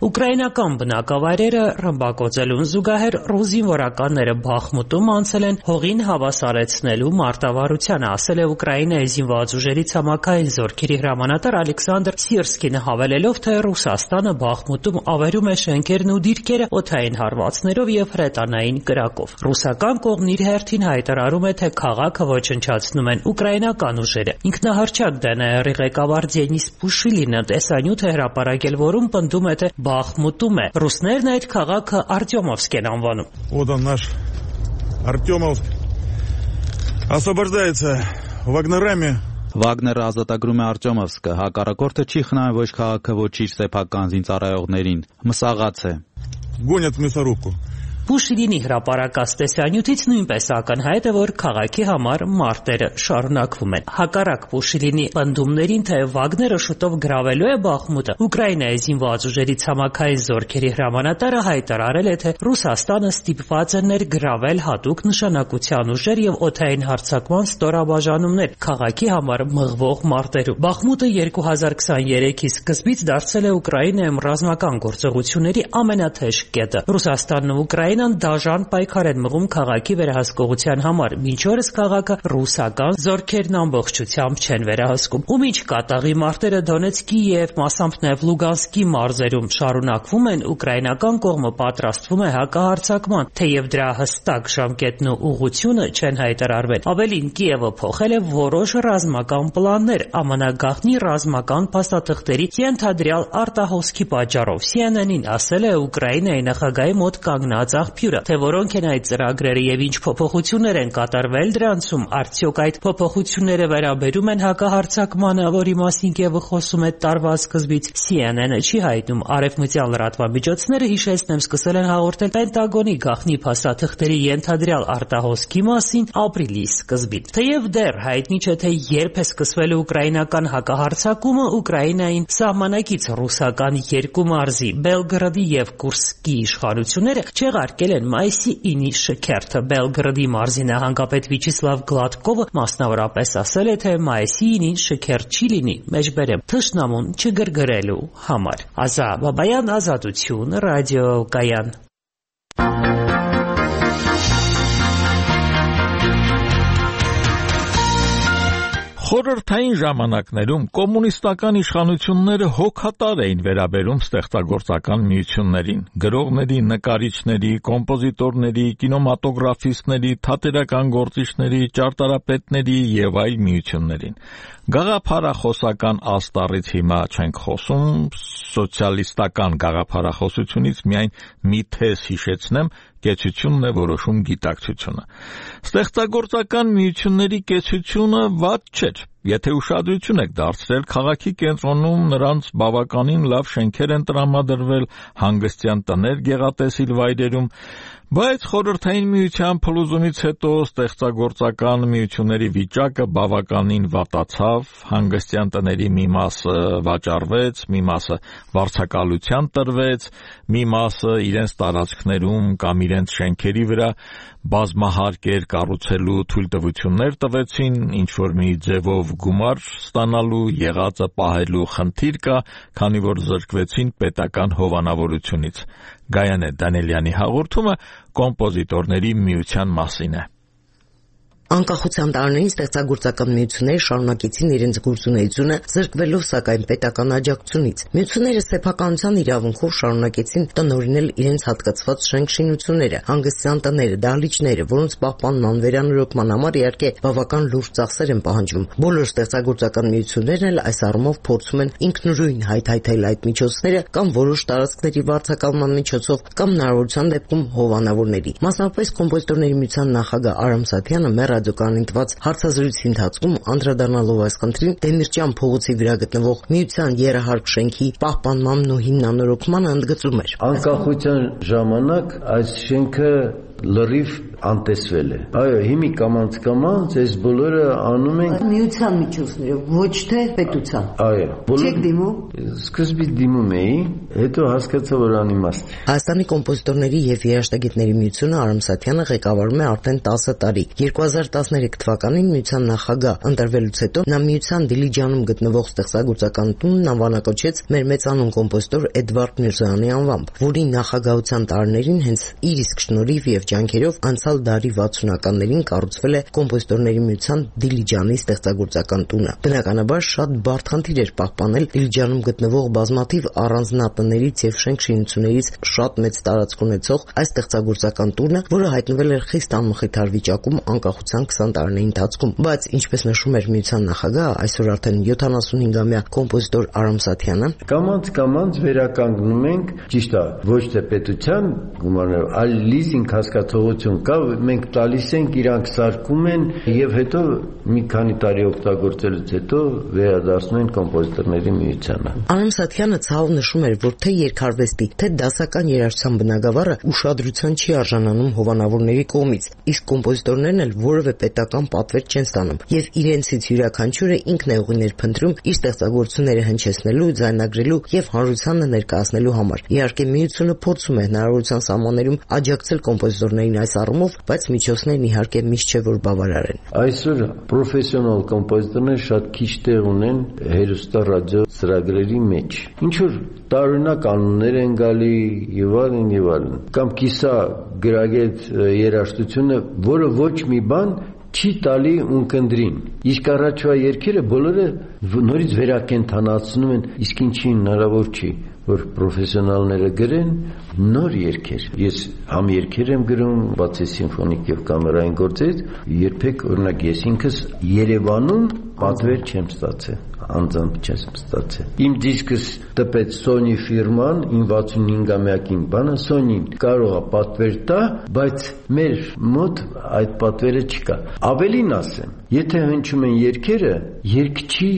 Ուկրաինական բնակավայրերը ռմբակոծելուն զուգահեռ ռուս զինվորականները Բախմուտում անցել են հողին հավասարեցնելու մարտավարությանը, ասել է Ուկրաինայի զինված ուժերի ցամաքային զորքերի հրամանատար Ալեքսանդր Սիրսկինը, հավելելով, թե Ռուսաստանը Բախմուտում ավերում է շենքերն ու դիրքերը օդային հարվածներով եւ հրետանային կրակով։ Ռուսական կողմն իր հերթին հայտարարում է, թե քաղաքը ոչնչացնում են ուկրաինական ուժերը։ Ինքնահռչակ դե են ա եռ-ի ղեկավար Դենիս Պուշիլինը տեսանյութ է հրապարակել, որում պնդում է, թե Բախմուտում է։ Ռուսներն այդ քաղաքը Արտյոմովսկ են անվանում։ Вот он наш Артемовск. Освобождается вагнерами. Վագները ազատագրում է Արտյոմովսկը, հակառակորդը չի խնայում ոչ քաղաքը, ոչ իր սեփական զինծառայողներին։ Մսաղաց է։ Гонят в мясорубку. Պուշիլինի հրապարակած տեսանյութից նույնպես ակնհայտ է, որ քաղաքի համար մարտերը շարունակվում են։ Հակառակ Պուշիլինի պնդումներին, թե Վագները շուտով գրավելու է Բախմուտը, Ուկրաինայի զինված ուժերի ցամաքային զորքերի հրամանատարը հայտարարել է, թե Ռուսաստանը ստիպված է ներգրավել հատուկ նշանակության ուժեր եւ օդային հարձակման ստորաբաժանումներ քաղաքի համար մղվող մարտերում։ Բախմուտը երկու հազար քսաներեքի սկզբից դարձել է Ուկրաինայում ռազմական գործողությունների ամենաթեժ կետը։ Ռուսաստանն ու Ուկրաինան դաժան պայքար են մղում քաղաքի վերահսկողության համար, մինչ օրս քաղաքը ռուսական զորքերն ամբողջությամբ չեն վերահսկում։ Ու մինչ կատաղի մարտերը Դոնեցկի եւ մասամբ նաեւ Լուգանսկի մարզերում շարունակվում են, ուկրաինական կողմը պատրաստվում է հակահարձակման, թեև դրա հստակ ժամկետն ու ուղղությունը չեն հայտարարվել։ Ավելին, Կիևը փոխել է որոշ ռազմական պլաններ Է Մ Ն գաղտնի ռազմական փաստաթղթերի ենթադրյալ արտահոսքի պատճառով։ C N N-ին ասել է Ուկրաինայի նախագահի մոտ կանգնած աղբյուրը, թե որոնք են այդ ծրագրերը եւ ինչ փոփոխություններ են կատարվել դրանցում, արդյոք այդ փոփոխությունները վերաբերում են հակահարձակմանը, որի մասին Կիևը խոսում է տարվա սկզբից։ C N N-ը չի հայտնում։ Արևմտյան լրատվամիջոցները, հիշեցնեմ, սկսել են հաղորդել Պենտագոնի գաղտնի փաստաթղթերի ենթադրյալ արտահոսքի մասին ապրիլի սկզբին։ Թեև դեռ հայտնի չէ, թե երբ է սկսվել ուկրաինական հակահարձակումը, Ուկրաինային սահմանակից ռուսական երկու մարզի Բելգրադի եւ Կուրսկի իշխանությունները չեղարկել են մայիսի ինի շքերթը։ Բելգրադի մարզի նահանգապետ Վիչիսլավ Գլադկովը մասնավորապես ասել է, թե մայիսի ինին շքերթ չի լինի, մեջբերեմ, թշնամուն չգրգրելու համար։ Ազա Բաբայան, Ազատություն, Ռադիո Կայան։ Խորհրդային ժամանակներում կոմունիստական իշխանությունները հոգատար էին վերաբերում ստեղծագործական միություններին, գրողների, նկարիչների, կոմպոզիտորների, կինոմատոգրաֆիստների, թատերական գործիչների, ճարտարապետների եւ այլ միություններին։ Գաղափարախոսական աստառից հիմա չենք խոսում, սոցիալիստական գաղափարախոսությունից միայն մի թեզ հիշեցնեմ, կեցությունն է որոշում գիտակցությունը։ Ստեղծագործական միությունների կեցությունը վատ չէր, եթե ուշադրություն եք դարձրել, քաղաքի կենտրոնում նրանց բավականին լավ շենքեր են տրամադրվել, հանգստյան տներ գեղատեսիլ վայրերում, բայց խորհրդային միության փլուզումից հետո ստեղծագործական միությունների վիճակը բավականին վատացավ, հանգստյան տների մի մասը վաճառվեց, մի մասը վարձակալության տրվեց, մի մասը իրենց տարածքներում կամ իրենց շենքերի վրա բազմահարկեր կառուցելու թույլտվություններ տվեցին, ինչ-որ մի ձևով գումար ստանալու, եղածը պահելու խնդիր կա, քանի որ զրկվեցին պետական հովանավորությունից։ Գայանե Դանիելյանի հաղորդումը կոմպոզիտորների միության մասին է։ Անկախության տարիներին ստեղծագործական միությունները շարունակեցին իրենց գործունեությունը, զրկվելով սակայն պետական աջակցությունից։ Միությունները սեփականության իրավունքով շարունակեցին տնօրինել իրենց հատկացված շենք-շինությունները, հանգստյան տները, դահլիճները, որոնց պահպանման վերանորոգման համար իհարկե բավական լուրջ ծախսեր են պահանջվում։ Բոլոր ստեղծագործական միություններն էլ այս առումով փորձում են ինքնուրույն հայթայթել այդ միջոցները կամ որոշ տարածքների վարձակալման միջոցով կամ հնարավորության դեպքում հովանավորների։ Մասնավորապես կոմպոզիտորների միության նախագահ Արամ Սաթյանը մեր ռադիոկայանին տված հարցազրույցի ընթացքում անդրադառնալով այս խնդրին Դեմիրճյան փողոցի վրա գտնվող միության երահարկ շենքի պահպանմանն ու հիմնանորոգմանը ընդգծում էր. Անկախության ժամանակ այս շենքը լրիվ անտեսվել է։ Այո, հիմի կամանց կամանց այս բոլորը անում են միության միջոցներով, ոչ թե պետության։ Այո, Չեք դիմում։ Սկզբից դիմում էի, հետո հասկացա, որ անիմաստ է։ Հայաստանի կոմպոզիտորների եւ երաժշտագետների միությունը Արամ Սաթյանը ղեկավարում է արդեն տասը տարի։ երկու հազար տասներեք թվականին միության նախագահ ընտրվելուց հետո նա միության Դիլիջանում գտնվող ստեղծագործական տունն անվանակոչեց մեր մեծանուն կոմպոզիտոր Էդվարդ Միրզոյանի անվամբ, որի նախագահության տարիներին հենց իր իսկ շնորհիվ եւ ջանքերով անցյալ դարի վաթսունականներին կառուցվել է կոմպոզիտորների միության Դիլիջանի ստեղծագործական տունը։ Բնականաբար շատ բարդ խնդիր էր պահպանել Դիլիջանում գտնվող բազմաթիվ առանձնատներից եւ շենք-շինություններից շատ մեծ տարածք ունեցող այս ստեղծագործական տունը, որը հայտնվել էր խիստ անմխիթար վիճակում անկախության քսան տարիների ընթացքում, բայց ինչպես նշում էր միության նախագահը, այսօր արդեն յոթանասունհինգամյա կոմպոզիտոր Արամ Սաթյանը, կամանց-կամանց վերականգնում ենք, ճիշտ է, ոչ թե պետության գումարներով, այլ լիզինգ հասկացողություն կա, մենք տալիս ենք, իրանք սարքում են եւ հետո մի քանի տարի օգտագործելուց հետո վերադառնում են կոմպոզիտորների միությանը։ Արամ Սաթյանը ցավ նշում էր, որ թե երկարվեստի, թե դասական երաժշտության բնագավառը ուշադրության չի արժանանում հովանավորների կողմից, իսկ կոմպոզիտորներն էլ որևէ պետական պատվեր չեն ստանում եւ իրենցից յուրաքանչյուրը ինքն է ուղիներ փնտրում իր ստեղծագործությունները հնչեցնելու, ձայնագրելու եւ հանրությանը ներկայացնելու համար։ Իհարկե միությունը փորձում է հնարավորության սահմաններում աջակցել կոմպոզիտորներին այս առումով, բայց միջոցներն իհարկե միշտ չէ որ բավարար են։ Այսօր պրոֆեսիոնալ կոմպոզիտորները շատ քիչ տեղ ունեն հեռուստա ռադիո ծրագրերի մեջ։ Ինչ որ տարօրինակ անուններ են գալի եւ այլն եւ այլն։ Կամ կիսա գրագետ երաժշտությունը, որը ոչ մի բան չի տալի ունկնդրին։ Իսկ առաջվա երգերը բոլորը նորից վերակենդանացնում են, իսկ ինչի հնարավոր չի, որ պրոֆեսիոնալները գրեն նոր երգեր։ Ես համ երգեր եմ գրում, բացի սիմֆոնիկ եւ կամերային գործերից, երբեք օրինակ ես ինքս Երևանում պատվեր չեմ ստացել, անձամբ չեմ ստացել։ Իմ դիսկս տպեց Sony ֆիրման, իմ վաթսունհինգամյակին բանը Sony-ն կարող է պատվեր տա, բայց մեր մոտ այդ պատվերը չկա։ Ավելին ասեմ, եթե հնչում են երգերը, երգչի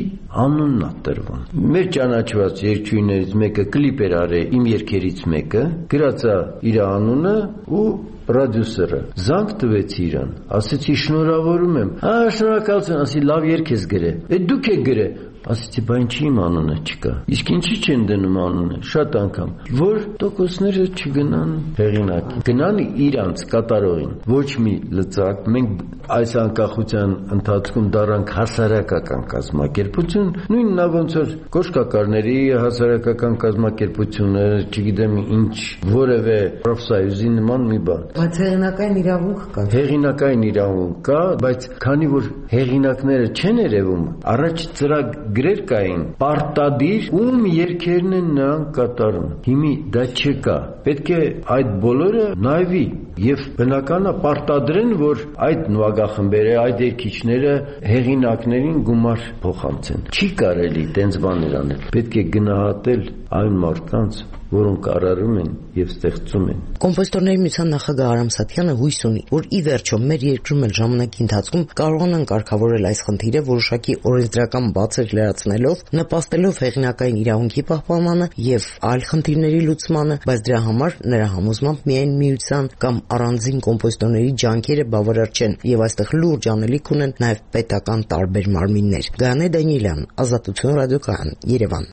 անունն է տրվում։ Մեր ճանաչված երգչուհիներից մեկը կլիպ էր արել իմ երգերից մեկը, գրած է իր անունը ու պրոդյուսերը զանգ տվեցի իրան, ասեցի շնորհավորում եմ։ Ահա շնորհակալություն, ասի լավ երգ ես գրել։ Է դուք եք գրել։ ասեցի, բա ինչի իմ անունը չկա։ Իսկ ինչի չեն դնում անունը, շատ անգամ, որ տոկոսները չգնան հեղինակին, գնան իրանց կատարողին, ոչ մի լծակ։ Մենք այս անկախության ընթացքում դառանք հասարակական կազմակերպություն, նույն նա ոնց որ կոշկակարների հասարակական կազմակերպությունը, չգիտեմ ինչ, որևէ պրոֆսայուզի նման մի բան։ Բայց հեղինակային իրավունք կա։ Հեղինակային իրավունք կա, բայց քանի որ հեղինակները չեն երևում, առաջ ծրագրեր կային, պարտադիր, ում երգերն են նրանք կատարում։ Հիմի դա չկա։ Պետք է այդ բոլորը նայվի եւ բնականա պարտադրեն, որ այդ նվագախմբերը, այդ երգիչները հեղինակներին գումար փոխանցեն։ Չի կարելի տենց բաներ անել։ Պետք է գնահատել այն մարդկանց, որոնք արարում են եւ ստեղծում են։ Կոմպոզիտորների միության նախագահ Արամ Սաթյանը հույս ունի, որ ի վերջո մեր երկրում էլ ժամանակի ընթացքում կարողանան կարգավորել այս խնդիրը որոշակի օրենսդրական բացեր լրացնելով, նպաստելով հեղինակային իրավունքի պահպանմանը եւ այլ խնդիրների լուծմանը, բայց դրա համար նրա համոզմամբ միայն միության կամ առանձին կոմպոզիտորների ջանքերը բավարար չեն եւ այստեղ լուրջ անելիք ունեն նաեւ պետական տարբեր մարմիններ։ Գայանե Դանիելյան, Ազատություն ռադիոկայան, Երևան։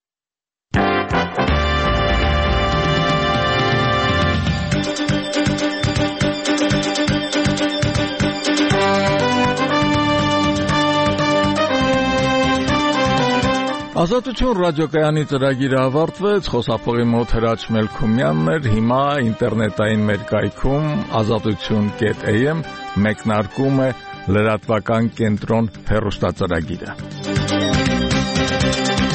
Ազատություն ռադիոկայանի ծրագիրը ավարտվեց, խոսափողի մոտ Հրաչ Մելքումյանն էր, հիմա ինտերնետային մեր կայքում ազատություն կետ էյ էմ մեկնարկում է լրատվական կենտրոն հեռուստածրագիրը։